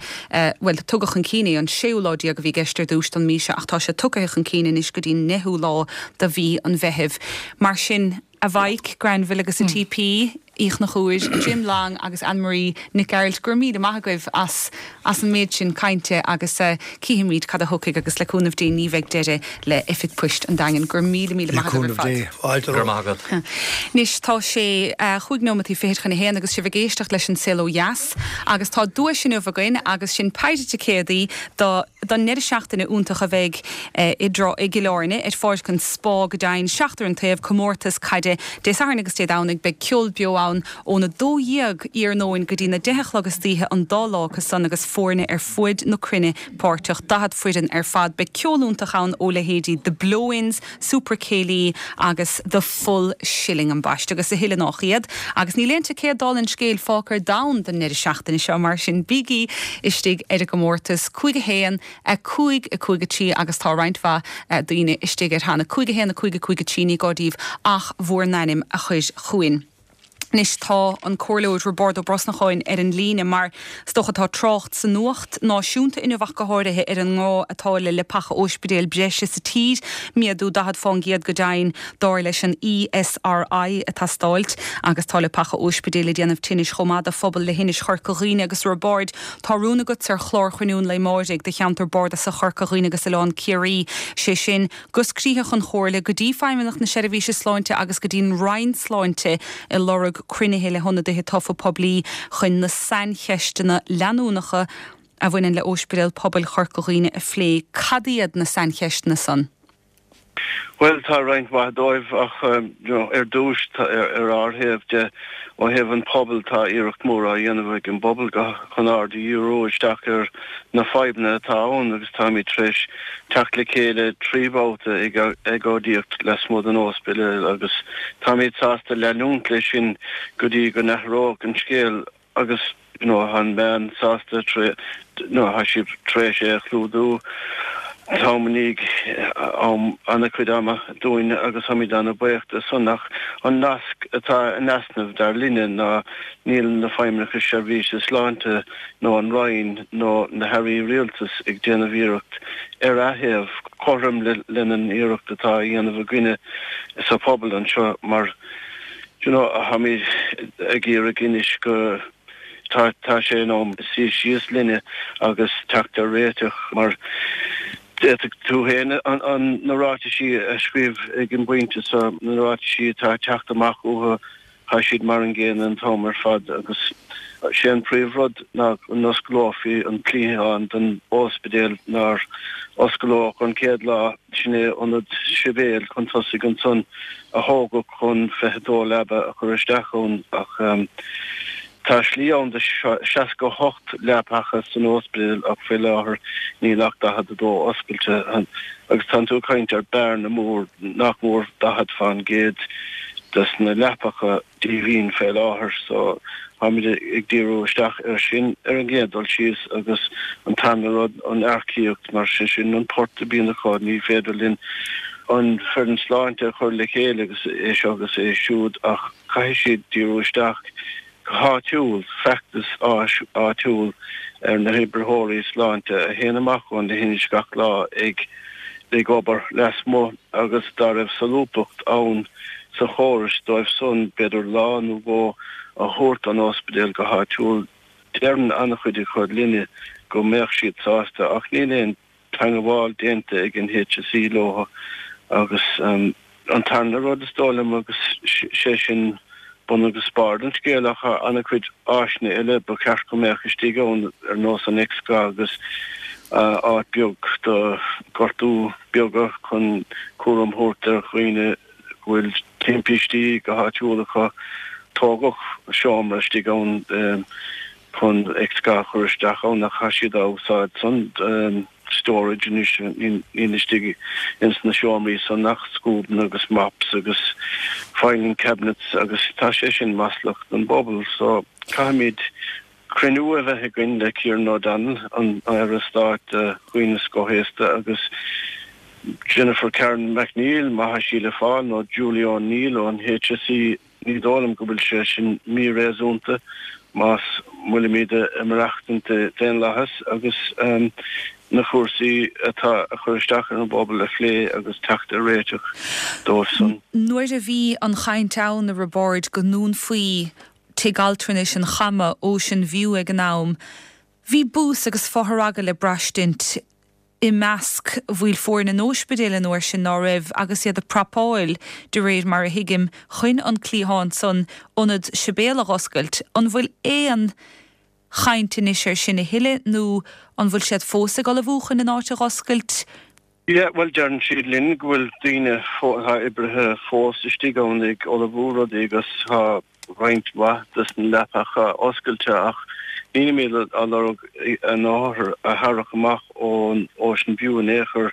[SPEAKER 1] bhuel, tugadh chun cinn é, an séú lá déag a bhí i gceist ar dtús don mhí seo ach tá sé tugtha chun cinn anois go dtí an ndeichiú lá de mhí an Mheithimh. Mar sin, a Mhaidhc, Granville agus a TP, Uí Chonchúir, Jim Long agus Anne-Marie Nic Gearailt, go raibh míle maith agaibh as as an méid sin cainte agus uh, cífimid cad a thiocfaidh agus le cúnamh Dé ní bheidh deireadh le Oifig Poist an Daingin go raibh míle míle maith agaibh ar fad.
[SPEAKER 11] Go raibh maith agat.
[SPEAKER 1] Anois tá sé uh, chúig nóiméad fichead chun a haon agus sibh ag éisteacht leis an Saol Ó Dheas agus tá duais inniu againn agus sin péire ticéadaí do don ndeireadh seachtaine iontach a bheidh uh, i dtrá i gCill Airne ar Pháirc an Spá go deimhin seachtar an taobh comórtas caide Dé Sathairn agus Dé Domhnaigh beidh ceol beo ann óna dó dhéag iarnóin go dtí na deich a chlog istoíche an dá lá acu san agus foirne ar fud na cruinne páirteach daichead foireann ar fad beidh ceol iontach ann ó leithéidí The Blow-ins, Super Céilí agus The Full Shilling ambaiste agus a thuilleadh nach iad agus níl aon ticéad dála an scéil fágtha ar domhan don ndeireadh seachtaine seo mar sin bígí istigh ar an gcomórtas cúig a haon a cúig a cúig a trí agus tá roinnt mhaith eh, daoine istigh air cheana cúig a haon a cúig a cúig a trí ní gá daoibh ach bhur n-ainm a chur chugainn. Anois tá an Comhairleoir Roibeárd Ó Brosnacháin ar an líne mar is dócha tá trácht sa nuacht náisiúnta inniu ach go háirithe ar an ngá atá le leapacha ospidéil breise sa tír, méadú daichead faoin gcéad go deimhin dar leis an ESRI ag teastáil agus tá leapacha ospidéil ag déanamh tinnis chomh maith do phobal leithinis Chorca Dhuibhne agus Roibeárd tá rún agat ar chlár Chruinniú an Lae Amárach do cheantar bardasach Chorca Dhuibhne agus Oileán Ciarraí sé sin go scríobhadh an Chomhairle go dtí Feidhmeannacht na Seirbhíse Sláinte agus go dtí'n Roinn Sláinte ag lorg cruinnithe le hionadaithe tofa poiblí chun na saincheisteanna leanúnacha a bhaineann le Ospidéal Pobail Chorca Dhuibhne a phlé cad iad na saincheisteanna san.
[SPEAKER 15] Well tá roinnt mhaith dóibh ach um, you know, ar dtús ar, ar ár thaobh de ó thaobh an pobal tá iarracht mór á dhéanamh ag an bpobal go chun aird a dhíriú isteach ar na fadhbanna atá ann agus táimid tar éis teacht le chéile trí bhabhta ag agóidíocht lasmuigh den ospidéal agus táimid sásta leanúint leis sin go dtí go n-athróidh an scéal agus you know, an meán sásta no, tá siad tar éis é a chlúdú. Táimid am an-chuid ama dúinn agus táimid an-bhuíoch de san ach an nasc atá in easnamh dar linne ná níl na feidhmeannacha seirbhíse sláinte nó an Roinn nó na hairí rialtais ag déanamh iarracht ar a thaobh cothrom lena n-iarracht atá á dhéanamh againne sa phobal anseo mar you know, táimid ag iarraidh anois go tá tá sé in am suí síos linne agus teacht ar réiteach mar D'fhéadfadh tú féin an na ráitisí a scríobh ag an bpointe so na ráitisí atá ag teacht amach uathu tá siad mar an gcéanna an t-am ar fad agus sé an príomhrud ná go n-osclófaí an cliathán den ospidéal nár osclaíodh an chéad lá sin é ionad sibéal chun tosaigh ansan a thógadh chun fiche dó leaba a chur isteach ann ach Tá slí ann do seasca a hocht leapacha san ospidéal ach faoi láthair níl ach daichead a dó oscailte agus tánn tú ag caint ar bearna mór nach mór daichead fán gcéad des na leapacha díomhaoin fé láthair so táimid ag díriú isteach ar sin ar an gcéad dul síos agus an tarna rud an earcaíocht mar sé sin an port a bhíonn acu ní féidir linn an foireann sláinte a chur le chéile agus é seo agus é siúd ach caithfidh siad díriú isteach go háitiúil, feachtas áitiúil ar na hoibritheoirí sláinte a théann amach ón leithinis gach lá ag ag obair lasmuigh agus dá raibh solúbthacht ann sa chóras dóibh san b'fhéidir lá nó dhó a thabhairt don ospidéal go háitiúil. Deireann an-chuid acu linne go mbeadh siad sásta ach níl aon teangabháil déanta ag an HSE leo agus an tarna rud is dóigh liom agus sé sin bun agus barr an scéil ach an-chuid áiseanna eile ba cheart go mbeadh istigh ann ar nós an X-gha agus áit beag do gortú beaga chun cúram a thabhairt ar dhaoine go bhfuil timpistí go háitiúil acu. Tógadh seomra istigh ann chun X-gha a chur isteach ann ach tá siad á úsáid san storage anois níl istigh ins na seomraí san ach scuabanna agus mops agus filing cabinets agus tá sé sin maslach don bpobal so caithfimid cruinniú a bheith againn le Kieran O'Donnell an Aire Stáit do Dhaoine Scothaosta agus Jennifer Karen McNeill má tá sí le fáil nó Julie O'Neill ón HSE Ní dóigh liom go bhfuil sé sin míréasúnta más bhfuilimid ag maireachtaint i daonlathas agus na cúrsaí atá ag cur isteach ar an bpobal a phlé agus teacht ar réiteach dóibh san.
[SPEAKER 1] Nuair a bhí an chaint ann, a Roibeaird, go ndúnfaí Tigh Altranais an Chama, Ocean View ag an am, bhí bús agus fothragadh le braistint i measc bhaill foirne an óispidéil an uair sin, ná raibh, agus iad ag prapáil, de réir mar a thuigim, chun an cliathán san Ionad Sibéal a dh'oscailt. An bhfuil aon chaint anois air sin a thuilleadh nó an bhfuil siad fós ag ullmhú chun an áit a dh'oscailt?
[SPEAKER 15] Yeah, bhuel deireann siad linn go bhfuil daoine, tá oibrithe fós istigh ann ag ullmhú rudaí agus tá roinnt mhaith des na leapacha oscailte ach nílimid á lorg na hothair a tharrac amach ón Ocean View in aon chor.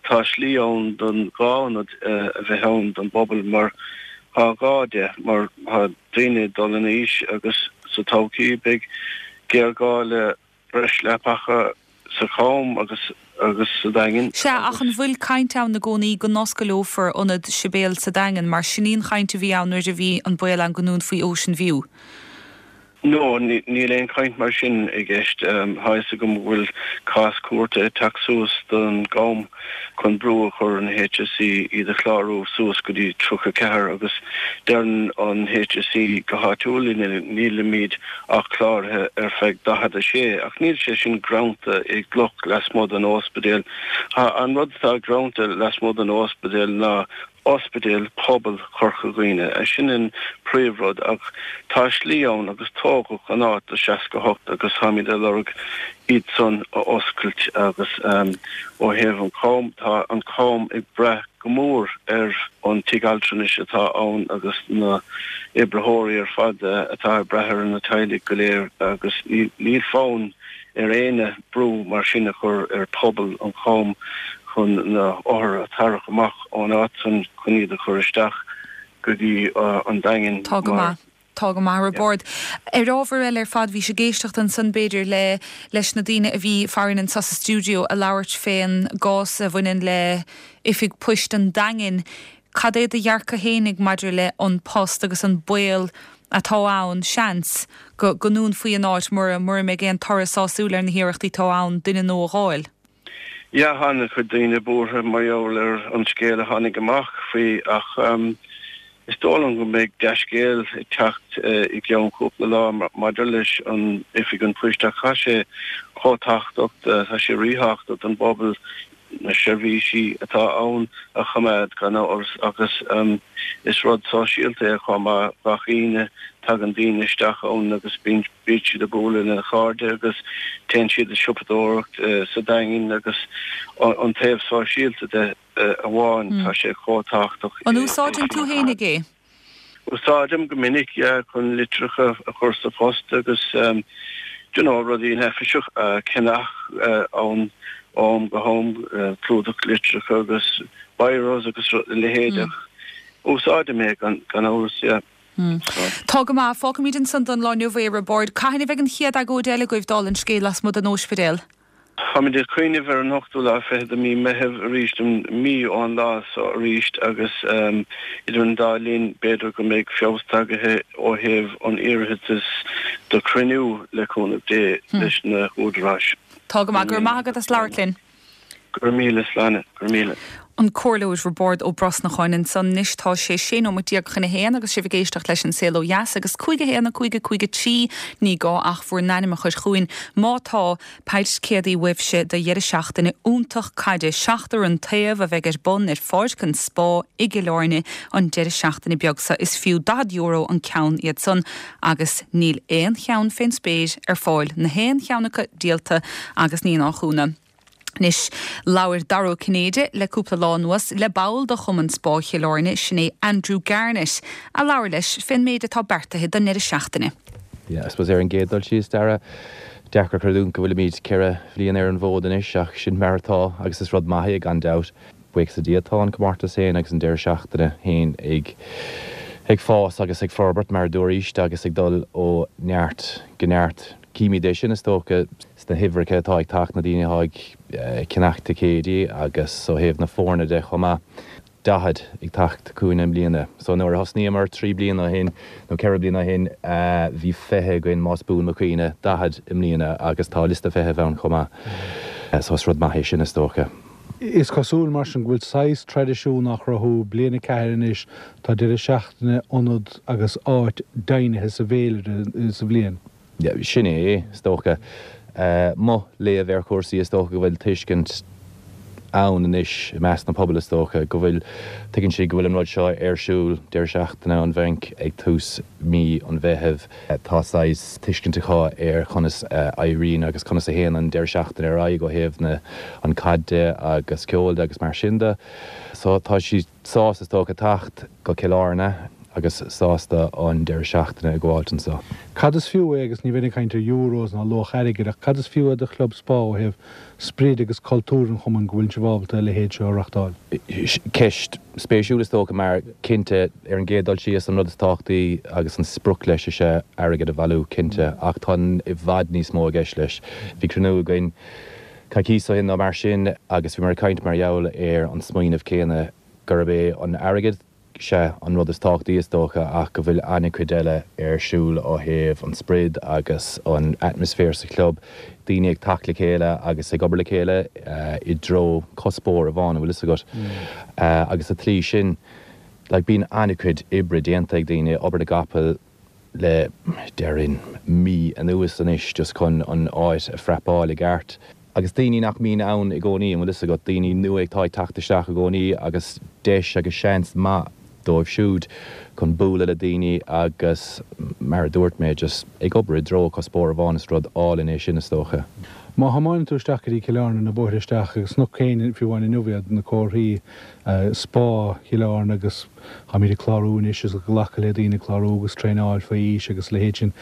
[SPEAKER 15] Tá slí ann don dhá ionad a bheith ann don bpobal mar tá gá de mar tá daoine ag dul in aois agus sa todhchaí beidh géarghá le breis leapacha sa Cham agus agus sa Daingean.
[SPEAKER 1] Sea, ach an bhfuil caint ann i gcónaí go n-oscaileofar ionad Sibéal sa Daingean, mar sin í an chaint a bhí ann nuair a bhí an baol ann go ndúnfaí Ocean View?
[SPEAKER 15] No, níl aon chaint mar sin i gceist. Tá fhios agam go bhfuil cás cúirte ag teacht suas don gCam chun brú a chur ar an HSE iad a chlárú suas go dtí tríocha ceathair agus deireann an HSE go háitiúil nílimid ach cláraithe ar feadh daichead a sé ach níl sé sin greanta i gcloch lasmuigh den ospidéal. An rud atá greanta lasmuigh den ospidéal ná Ospidéal Pobail Chorca Dhuibhne. Sin an príomhrud ach tá slí ann agus tógadh an áit do seasca hocht agus táimid ag lorg iad san a oscailt agus ó thaobh an Cham tá an Cam ag brath go mór ar an tigh altranais atá ann agus na oibritheoirí ar fad atá ag brath ar na teaghlaigh go léir agus níl fonn ar éinne brú mar sin a chur ar phobal an Cham chun na hothair a tharrac amach ón áit san chun iad a chur isteach go dtí an Daingean
[SPEAKER 1] Tá go maith. Tá go maith, a Roibeaird. Ar ábhar eile ar fad, bhís ag éisteacht ansan b'fhéidir le leis na daoine a bhí farainn anso sa stiúideo a labhairt fén gcás a bhaineann le Oifig Poist an Daingin. Cad é do dhearcadh fhéinig maidir le An Post agus an baol atá ann, seans, go go ndúnfaí an áit mura mura mbeidh aon toradh sásúil ar na hiarrachtaí atá ann duine nua a dh'fháil?
[SPEAKER 15] Yeah, tá an-chuid daoine buartha mar gheall ar an scéal a tháinig amach faoi ach is dóigh liom go mbeidh dea-scéal ag teacht i gceann cúpla lá maidir leis an Oifig an Phoist ach tá sé chomh tábhachtach, tá sé ríthábhachtach don bpobal na seirbhísí atá ann a choimeád gan amhras agus is rud sóisialta é chomh maith, gach Aoine tagann daoine isteach ann agus bíonn Bíonn siad ag bualadh lena chairde agus téann siad ag siopadóireacht sa Daingean agus an taobh sóisialta de amháin, tá sé chomh tábhachtach.
[SPEAKER 1] An úsáideann tú fhéinig é?
[SPEAKER 15] Úsáidim go minic, yeah, chun litreacha a chur sa phost agus you know rudaí neafaiseacha a cheannach ann ó am go ham, clúdach litreacha agus biros agus a leithéid ach úsáidim é gan amhras, yeah.
[SPEAKER 1] Tá go maith. Fágfaimid ansan don lá inniu é, a Roibeaird. Cathain a bheidh an chéad agóid eile agaibh, dála an scéil, lasmuigh den óispidéal?
[SPEAKER 15] Táimid ag cuimhneamh ar an ochtú lá fichead de mí Meitheamh arís, mí ón lá so arís agus idir an dá linn b'fhéidir go mbeidh feabhas tagaithe ó thaobh an iarratais do chruinniú, le cúnamh Dé, leis na húdaráis.
[SPEAKER 1] Tá go maith. Go raibh maith agat as labhairt linn.
[SPEAKER 15] Go raibh míle, Sláine. Go raibh míle.
[SPEAKER 1] An Comhairleoir Roibeárd Ó Brosnacháin ansan. Anois tá sé sé nóiméad déag chun a haon agus sibh ag éisteacht leis An Saol Ó Dheas agus cúig a haon a cúig a cúig a trí ní gá ach bhur n-ainm a chur chugainn má tá paid ticéadaí uaibhse do dheireadh seachtaine iontach caide seachtar an taobh a bheidh ar bun ar Pháirc an Spá i gCill Airne an deireadh seachtaine beag seo. Is fiú daichead euro an ceann iad san agus níl aon cheann fén spéir ar fáil, na haon cheann acu díolta agus ní nach ionadh. Anois, labhair Dara Ó Cinnéide le cúpla lá anuas le ball de Chumann Spá Chill Airne, sin é Andrew Garnett, a labhair leis fén méid atá beartaithe don ndeireadh seachtaine.
[SPEAKER 16] Yeah, I suppose ar an gcéad dul síos, Dara, deacair creidiúint go bhfuilimid ceithre bhliain ar an bhfód anois ach sin mar atá agus is rud maith é gan dabht. Buíochas le Dia tá an comórtas féin agus an deireadh seachtaine féin ag ag fás agus ag forbairt mar a dúraís agus ag dul ó neart go neart. Címid é sin is dócha sna huimhreacha atá ag teacht, na daoine atá ag ceannach ticéidí agus ó thaobh na foirne de chomh maith, daichead ag teacht chugainn i mbliana. So nuair a thosnaíomar trí bliana ó shin, nó ceithre bliana ó shin, bhí fiche againn más buan mo chuimhne, daichead i mbliana agus tá liosta feithimh ann chomh maith. So is rud maith é sin is dócha.
[SPEAKER 17] Is cosúil mar sin go bhfuil saghas traidisiún á chruthú, bliain a ceathair anois, tá deireadh seachtaine, ionad agus áit deimhnithe sa bhféilire sa bhliain.
[SPEAKER 16] Sin é, is dócha. Mo léamh ar chúrsaí, is dócha go bhfuil tuiscint ann anois i measc na pobail, is dócha, go bhfuil, tuigeann siad go bhfuil an rud seo ar siúl deireadh seachtaine an Bhainc ag tús mí an Mheithimh. Tá saghas tuiscint acu ar conas a éiríonn agus conas a théann an deireadh seachtaine ar aghaidh ó thaobh na an caid de agus ceol de agus mar sin de. So tá siad sásta, is dócha, teacht go Cill Airne agus sásta an deireadh seachtaine a ghabháilt anseo.
[SPEAKER 17] Cad is fiú é, agus ní bheinn ag caint ar euros ná luach airgid, ach cad is fiú é do chlub Spá ó thaobh sprid agus cultúr an chumainn go bhfuil sibh ábalta a leithéid seo a reachtáil?
[SPEAKER 16] Ceist spéisiúil is dócha mar, cinnte, ar an gcéad dul síos, an rud is tábhachtaí agus an sprioc leis is ea airgead a bhailiú, cinnte, ach tá i bhfad níos mó i gceist leis. Bhí cruinniú againn coicís ó shin nó mar sin agus bhíomar ag caint mar gheall ar an smaoineamh céanna gurb é an airgead, sea, an rud is tábhachtaí is dócha ach go bhfuil an-chuid eile ar siúl ó thaobh an sprid agus an atmaisféar sa chlub, daoine ag teacht le chéile agus ag obair le chéile i dtreo cuspóir amháin, an bhfuil fhios agat. Agus sa tslí sin, like, bíonn an-chuid oibre déanta ag daoine, obair na gcapall le, déarfainn, mí anuas anois just chun an áit a phrepáil i gceart. Agus daoine nach mbíonn ann i gcónaí, an bhfuil fhios agat, daoine nua atá ag teacht isteach i gcónaí agus deis agus seans maith dóibh siúd chun bualadh le daoine agus, mar a dúirt mé, just ag obair i dtreo cuspóir amháin, is rud álainn é sin is dócha.
[SPEAKER 17] Má thiomáineann tú isteach go dtí Cill Airne, na bóithre isteach agus is féidir fiú amháin inniu iad, na comharthaí Spá Chill Airne agus táimid ag clárú anois is ag glacadh le daoine ag clárú agus traenáil faoi aois agus a leithéid sin.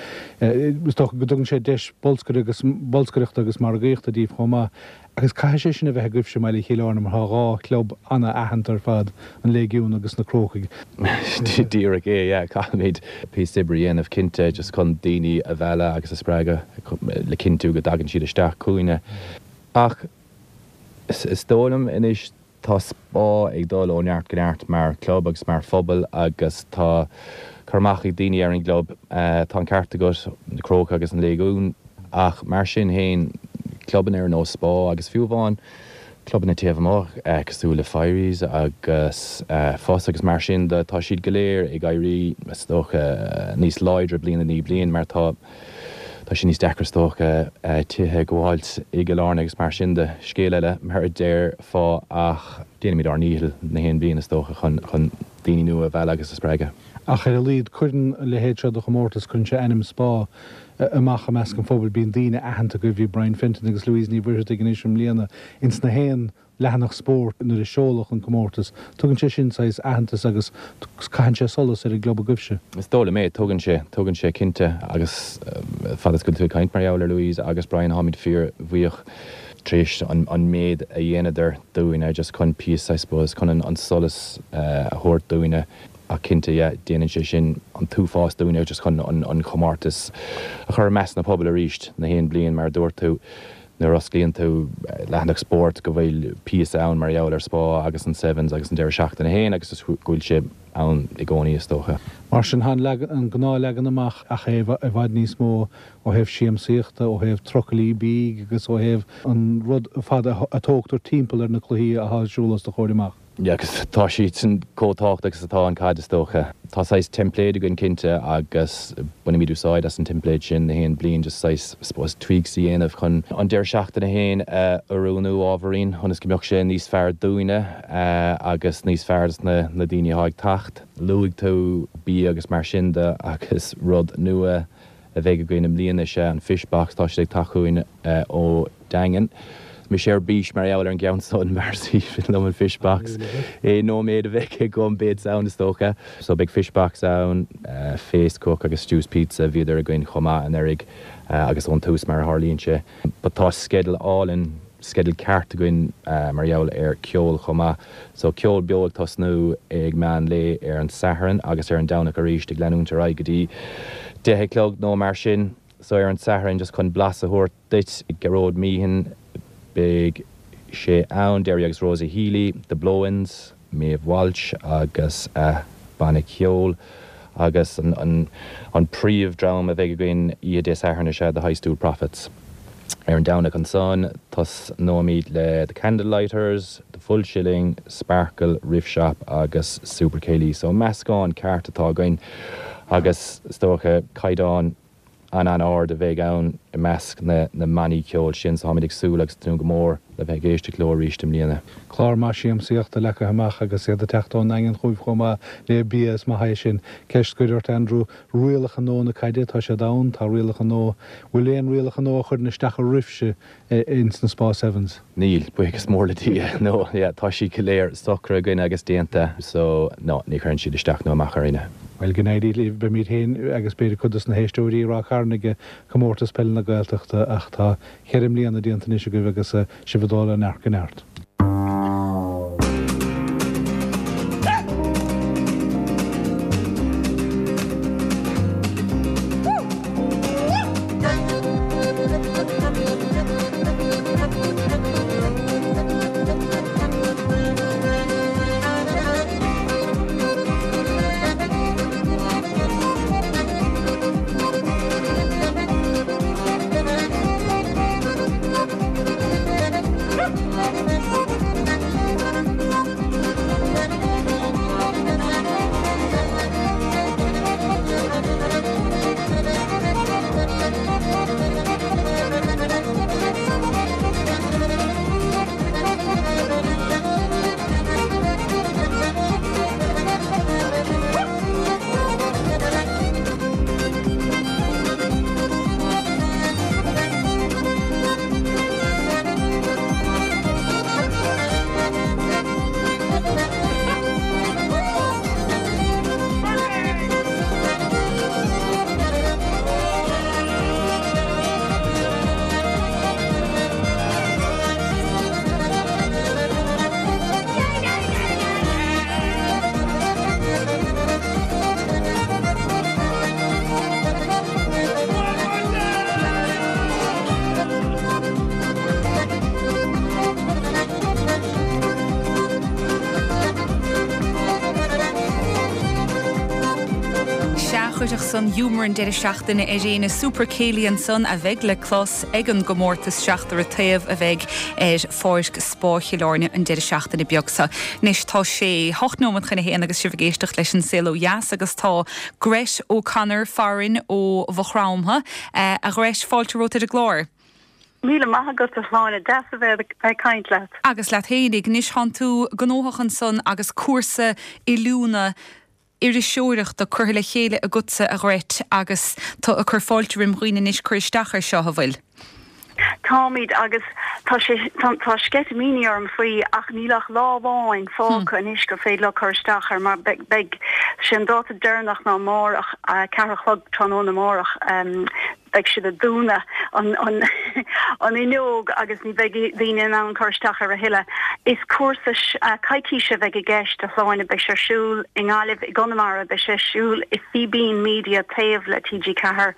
[SPEAKER 17] Is dócha go dtugann sé deis bolscaireachta agus margaíochta daoibh chomh maith agus caithfidh sé sin a bheith agaibhse i mbaile Chill Airne mar tá dhá chlub ana-aitheanta ar fad, an Léigiún agus na Crócaigh.
[SPEAKER 16] Díreach é, yeah. Caithfimid píosa oibre a dhéanamh cinnte just chun daoine a mhealladh agus a spreagadh le cinntiú go dtagann siad isteach chugainne. Ach is dóigh liom anois tá Spá ag dul ó neart go neart mar chlub agus mar phobal agus tá cur amach ag daoine ar an gclub. Tá an ceart agat, na Crócaigh agus an Léigiún, ach mar sin féin, clubanna ar nós Spá agus fiú amháin clubanna taobh amuigh cosúil le Fireys agus FUS agus mar sin de, tá siad go léir ag éirí, is dócha, níos láidre bliain i ndiaidh bliain mar tá Tá sé níos deacra is dócha tithe a ghabháilt i gCill Airne agus mar sin de. Scéal eile, mar a déarfá, ach déanaimid ár ndícheall na haon bhliain is dócha chun chun daoine nua a mhealladh agus a spreagadh.
[SPEAKER 17] Ach ar a laghad, cuireann a leithéid seo de chomórtas, cuireann sé ainm Spá amach i measc an phobail. Bíonn daoine aitheanta agaibh, bhí Brian Fenton agus Louise Ní Mhuircheartaigh anois i mbliana ins na haon leathanach spóirt nuair a seoladh an comórtas. Tugann sé sin saghas aitheantas agus caitheann sé solas ar an gclub agaibhse.
[SPEAKER 16] Is dóigh liom é. Tugann sé. Tugann sé, cinnte. Agus fad is go bhfuil tú ag caint mar gheall ar Louise agus Brian, táimid fíor-bhuíoch tar éis an méid a dhéanadar dúinne just chun píosa, I suppose, chun an solas a thabhairt dúinne. Ach cinnte, yeah, déanann sé sin an t-uafás dúinne just chun an chomórtas a chur i measc na pobail arís na haon bliain, mar a dúirt tú. Nuair a osclaíonn tú leathanach spóirt go bhfuil píosa ann mar gheall ar Spá agus an Sevens agus an deireadh seachtaine féin agus go bhfuil sé ann i gcónaí is dócha.
[SPEAKER 17] Mar sin, tá an gnáthleagan amach ach é i bhfad níos mó ó thaobh siamsaíochta, ó thaobh trucailí bídh agus ó thaobh an rud ar fad a tógtar timpeall ar na cluichí atá ar siúl os do chomhair amach.
[SPEAKER 16] Yeah, agus tá siad sin chomh tábhachtach is atá an caid is dócha. Tá saghas teimpléad againn cinnte agus bainimid úsáid as an teimpléad sin na haon bliain just saghas, I suppose, tweaks a dhéanamh chun an deireadh seachtaine féin a oiriúnú ábhairín ionas go mbeadh sé níos fearr dúinne agus níos fearr dos na na daoine atá ag teacht. Luaigh tú bia agus mar sin de agus rud nua a bheidh againn i mbliana is ea an Fish Box, tá siad ag teacht chugainn ó Daingean. Mise ar bís mar gheall ar an gceann san mar is aoibhinn liom an Fish Box. Aon nóiméad a bheidh agam beidh ann is dócha. So beidh Fish Box ann, Facecrook agus Stew's Pizza, bhíodar againn chomh maith anuraidh agus ón tús mar a tharlaíonn sé. But tá sceideal álainn, sceideal ceart againn mar gheall ar ceol chomh maith. So ceol beo ag tosnú ag meán lae ar an Satharn agus ar an Domhnach arís ag leanúint ar aghaidh go dtí deich a chlog nó mar sin. So ar an Satharn just chun blas a thabhairt duit, Gearóid Meehan, beidh sé ann, Derry agus Rosie Healy, The Blow-Ins, Maeve Walsh agus a banna ceoil agus an an príomh dream a bheidh againn oíche Dé Sathairn is ea The High Stool Prophets. Ar an Domhnach ansan tosnóimid le The Candlelighters, The Full Shilling, Sparkle, Riff Shop agus Super Céilí. So meascán ceart atá againn agus is dócha caighdeán an an-ard a bheidh ann i measc na na mbannaí ceoil sin so táimid ag súil agus tnúth go mór le bheith ag éisteacht leo arís i mbliana.
[SPEAKER 17] Clár maith siamsaíochta leagtha amach agus iad ag teacht ón nDaingean chugaibh chomh maith le bia is maith é sin. Ceist scoir ort Andrew, rialacha nua na caide, tá siad ann, tá rialacha nua, bhfuil aon rialacha nua a chuireann isteach oraibhse ins na Spá Sevens?
[SPEAKER 16] Níl, buíochas mór le Dia, no, yeah, tá siad go léir socraithe againn agus déanta so no, ní chuireann siad isteach nó amach orainne.
[SPEAKER 17] Bhuel, go n-éirí libh, beimid féin agus b'fhéidir cuid dos na héisteoirí i Ráth Chairn ag Comórtas Peile na Gaeltachta ach tá ceithre mbliana déanta anois agaibh agus sibh ag dul ó neart go neart.
[SPEAKER 1] Sea, chuirfeadh san giúmar an deireadh seachtaine ar éinne Super Céilí ansan a bheidh le clos ag an gcomórtas Seachtar an Taobh a bheidh ar Pháirc Spá Chill Airne an deireadh seachtaine beag seo. Anois tá sé hocht nóiméad chun a haon agus sibh ag éisteacht leis an Saol Ó Dheas agus tá Grett O'Connor farainn ó Mhaigh Chromtha. A Ghrett, fáilte romhat ar an gclár.
[SPEAKER 18] Míle maith agat a Shláine, deas a bheith ag caint leat.
[SPEAKER 1] Agus leat fhéinig, anois tánn tú gnóthach ansan agus cúrsa oiliúna iriseoireachta curtha le chéile agatsa a Ghrett agus tú ag cur fáilte roimh dhaoine anois cur isteach ar seo a bhfuil.
[SPEAKER 18] Táimid agus tá sé tá sceitimíní orm faoi ach níl ach lá amháin fágtha anois gur féidir leo cur isteach air mar beidh sé an dáta deireanach ná amárach ceathair a chlog tráthnóna amárach. Beidh siad ag dúnadh an an an fhuinneog agus ní bheidh daoine in ann cur isteach air a thuilleadh. Is cúrsa coicíse a bheidh i gceist a Shláine, beidh sé ar siúl i nGaillimh, i gConamara, beidh sé ar siúl i Fíbín Media taobh le T G ceathair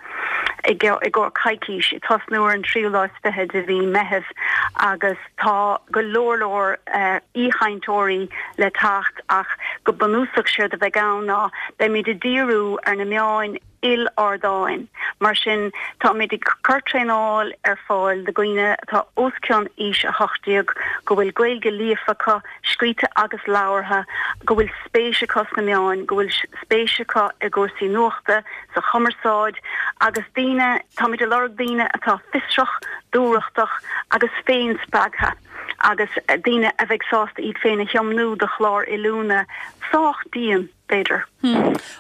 [SPEAKER 18] i gcomhair coicís, ag tosnú ar an tríú lá is fiche de mhí Meitheamh agus tá go leor leor aoichainteoirí le teacht ach go bunúsach séard a bheidh ann ná beimid ag díriú ar na meáin il-ardáin. Mar sin, táimid ag cur traenáil ar fáil do dhaoine atá os cionn aois a hocht déag, go bhfuil Gaeilge líofa acu, scríte agus labhartha, go bhfuil spéis acu sna meáin, go bhfuil spéis acu i gcúrsaí nuachta, sa chumarsáid, agus daoine, táimid ag lorg daoine atá fiosrach, dúthrachtach agus féinspreagtha agus daoine a bheidh sásta iad féin a thiomnú do chlár oiliúna sách dian. b'fhéidir.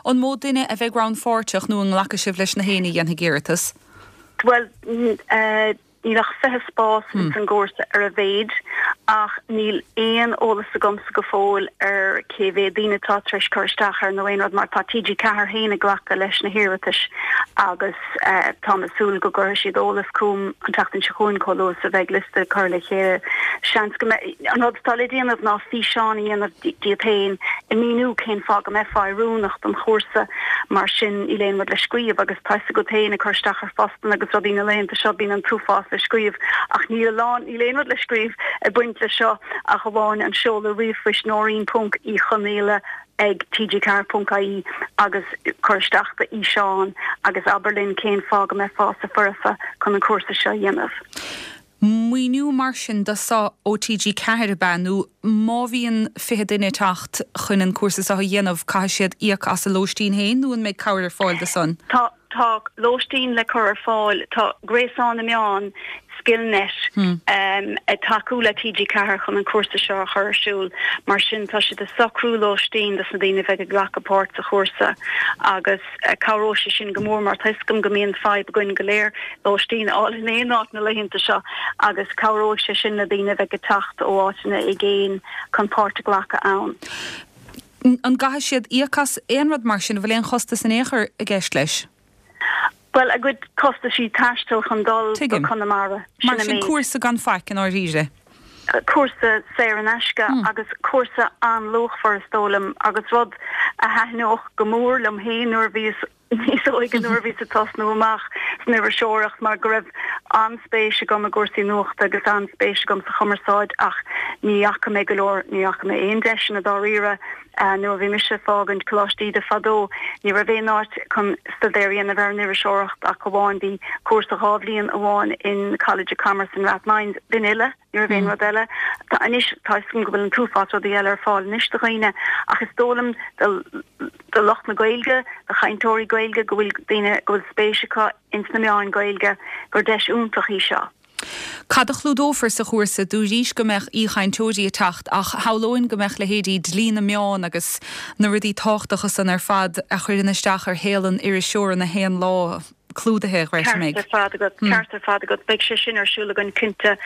[SPEAKER 1] An mó duine a bheidh rannpháirteach nó an nglacfaidh sibh leis na héinne a dhéanfaidh iarratas?
[SPEAKER 18] Bhuel, níl ach fiche spás ins an gcúrsa ar a mhéid ach níl aon eolas agamsa go fóill ar cé mhéad daoine atá tar éis cur isteach air nó aon rud mar tá T G ceathair féin ag glacadh leis na hiarratais agus táim ag súil go gcuirfidh siad eolas chugam an tseachtain seo chugainn chomh luath is a bheidh liosta curtha le chéile. Seans go mbeidh, an rud atá le déanamh ná físeán a dhéanamh díot féin ag míniú cén fáth go mbeifeá oiriúnach don chúrsa mar sin níl aon rud le scríobh agus tá fhios agat féin ag cur isteach ar phostanna agus rudaí na laethanta seo bíonn an t-uafás le scríobh ach níl a lán níl aon rud le scríobh ag baint le seo ach amháin an seoladh ríomhphoist Nóirín ponc Uí Chonaola ag T G ceathair ponc I E agus cuir isteach do fhíseán agus abair linn cén fáth go mbeifeása foirfe chun an cúrsa seo a dhéanamh.
[SPEAKER 1] Maoiniú mar sin do so ó T G ceathair ab ea, nó má bhíonn fiche duine ag teacht chun an cúrsa seo a dhéanamh, caithfidh siad íoc as a lóistín féin nó an mbeidh cabhair ar fáil do san?
[SPEAKER 18] Tá tá lóistín le cur ar fáil, tá Gréasán na Meán, Skillnet, ag tacú le T G ceathair chun an cúrsa seo a chur ar siúl. Mar sin tá siad ag socrú lóistín dos na daoine a bheidh ag glacadh páirt sa chúrsa agus cabhróidh sé sin go mór mar tá a fhios agam go mbíonn fadhb againn go léir lóistín a fháil in aon áit na laethanta seo agus cabhróidh sé sin le daoine a bheidh ag teacht ó áiteanna i gcéin chun páirt a ghlacadh ann.
[SPEAKER 1] An gcaithfidh siad íoc as aon rud mar sin, an bhfuil aon chostas in aon chor i gceist leis?
[SPEAKER 18] Bhuel, a gcuid costaisí taistil chun dul go Conamara.
[SPEAKER 1] Mar sin cúrsa gan faic i ndáiríre.
[SPEAKER 18] Cúrsa saor in aisce agus cúrsa an-luachmhar is dóigh liom agus rud a thaitneodh go mór liom féin nuair a bhíos níos óige, nuair a bhíos ag tosnú amach san iriseoireacht mar go raibh an-spéis agam i gcúrsaí nuachta agus an-spéis agam sa chumarsáid ach ní fhaca mé go leor, ní fhaca mé aon deiseanna dáiríre. Nuair a bhí mise ag fágaint Coláiste Íde fadó, ní raibh aon áit chun staidéar a dhéanamh ar an iriseoireacht ach amháin bhí cúrsa dhá bhliain amháin in College of Commerce in Rathmines, b'in uile, ní raibh aon rud eile. Tá anois, tá a fhios agam go bhfuil an t-uafás rudaí eile ar fáil anois do dhaoine ach is dóigh liom do do lucht na Gaeilge, do chainteoirí Gaeilge, go bhfuil daoine go bhfuil spéis acu ins na meáin Gaeilge, gur deis iontach í seo.
[SPEAKER 1] Cad a chlúdófar sa chúrsa? Dúraís go mbeadh aoichainteoirí ag teacht ach shamhlóinn go mbeadh leithéidí dlí na meán agus na rudaí tábhachtacha san ar fad a chuireann isteach ar shaol an iriseora na haon lá clúdaithe,
[SPEAKER 18] Ceart ar fad agat, ceart ar fad agat. Beidh sé sin ar siúl againn cinnte.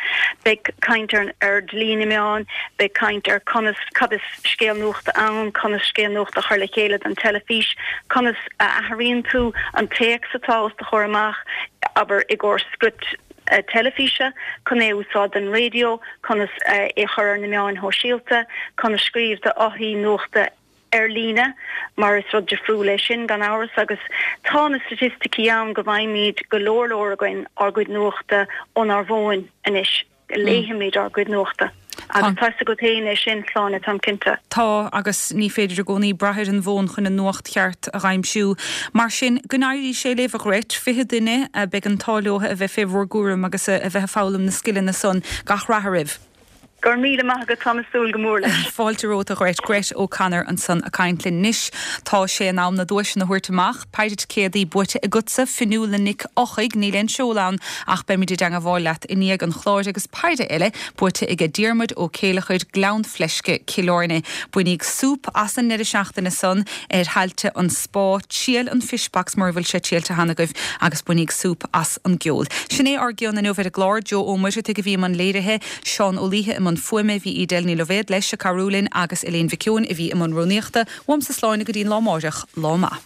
[SPEAKER 18] Beidh caint ar ar dlí na meán, beidh caint ar conas, cad is scéal nuachta ann, conas scéal nuachta a chur le chéile don teilifís, conas a athraíonn tú an téacs atá os do chomhair amach, abair i gcomhair script teilifíse, chun é a úsáid don raidió, conas é a chur ar na meáin shóisialta, conas scríobh do fhothaí nuachta ar líne, mar is rud difriúil é sin, gan amhras, agus tá na staitisticí ann go bhfaighimid go leor leor againn ár gcuid nuachta ónár bhfóin anois, léifimid ár gcuid nuachta. Agus tá fhios agat féin é sin, Sláine, táim cinnte.
[SPEAKER 1] Tá, agus ní féidir i gcónaí brath ar an bhfón chun an nuacht cheart a dh'aimsiú. Mar sin, go n-éirí sé libh, a Ghret, fiche duine a beidh an t-ádh leo a bheith fé bhur gcúram agus a bheith ag foghlaim na scileanna san. Gach rath oraibh.
[SPEAKER 18] Go raibh míle maith agat, táim ag súil go mór leis.
[SPEAKER 1] Fáilte romhat, a Ghret. Gret O'Connor ansan ag caint linn. Anois tá sé in am na duaiseanna a thabhairt amach. Péire ticéadaí buaite agatsa, Fionnuala Nic Eochaidh, níl aon seoladh ann ach beimid i dteangmháil leat i ndiaidh an chláir agus péire eile buaite aige Diarmuid Ó Céileachair, Gleann Fleisce, Cill Airne. Bainíg súp as an ndeireadh seachtaine san ar thailte an Spá, triail an Fish Box mura bhfuil sé triailte cheana agaibh agus bainíg súp as an gceol. Sin é ár gcion inniu ar an gclár, Joe Ó Muircheartaigh a bhí i mbun léirithe, Seán Ó Laoithe i mbun fuaime, bhí Edel Ní Loibhéad leis ag cabhrú linn agus Elaine Mhic Eoin a bhí i mbun rúnaíochta. Uaimse Sláine go dtí an lá amáireach, lá maith.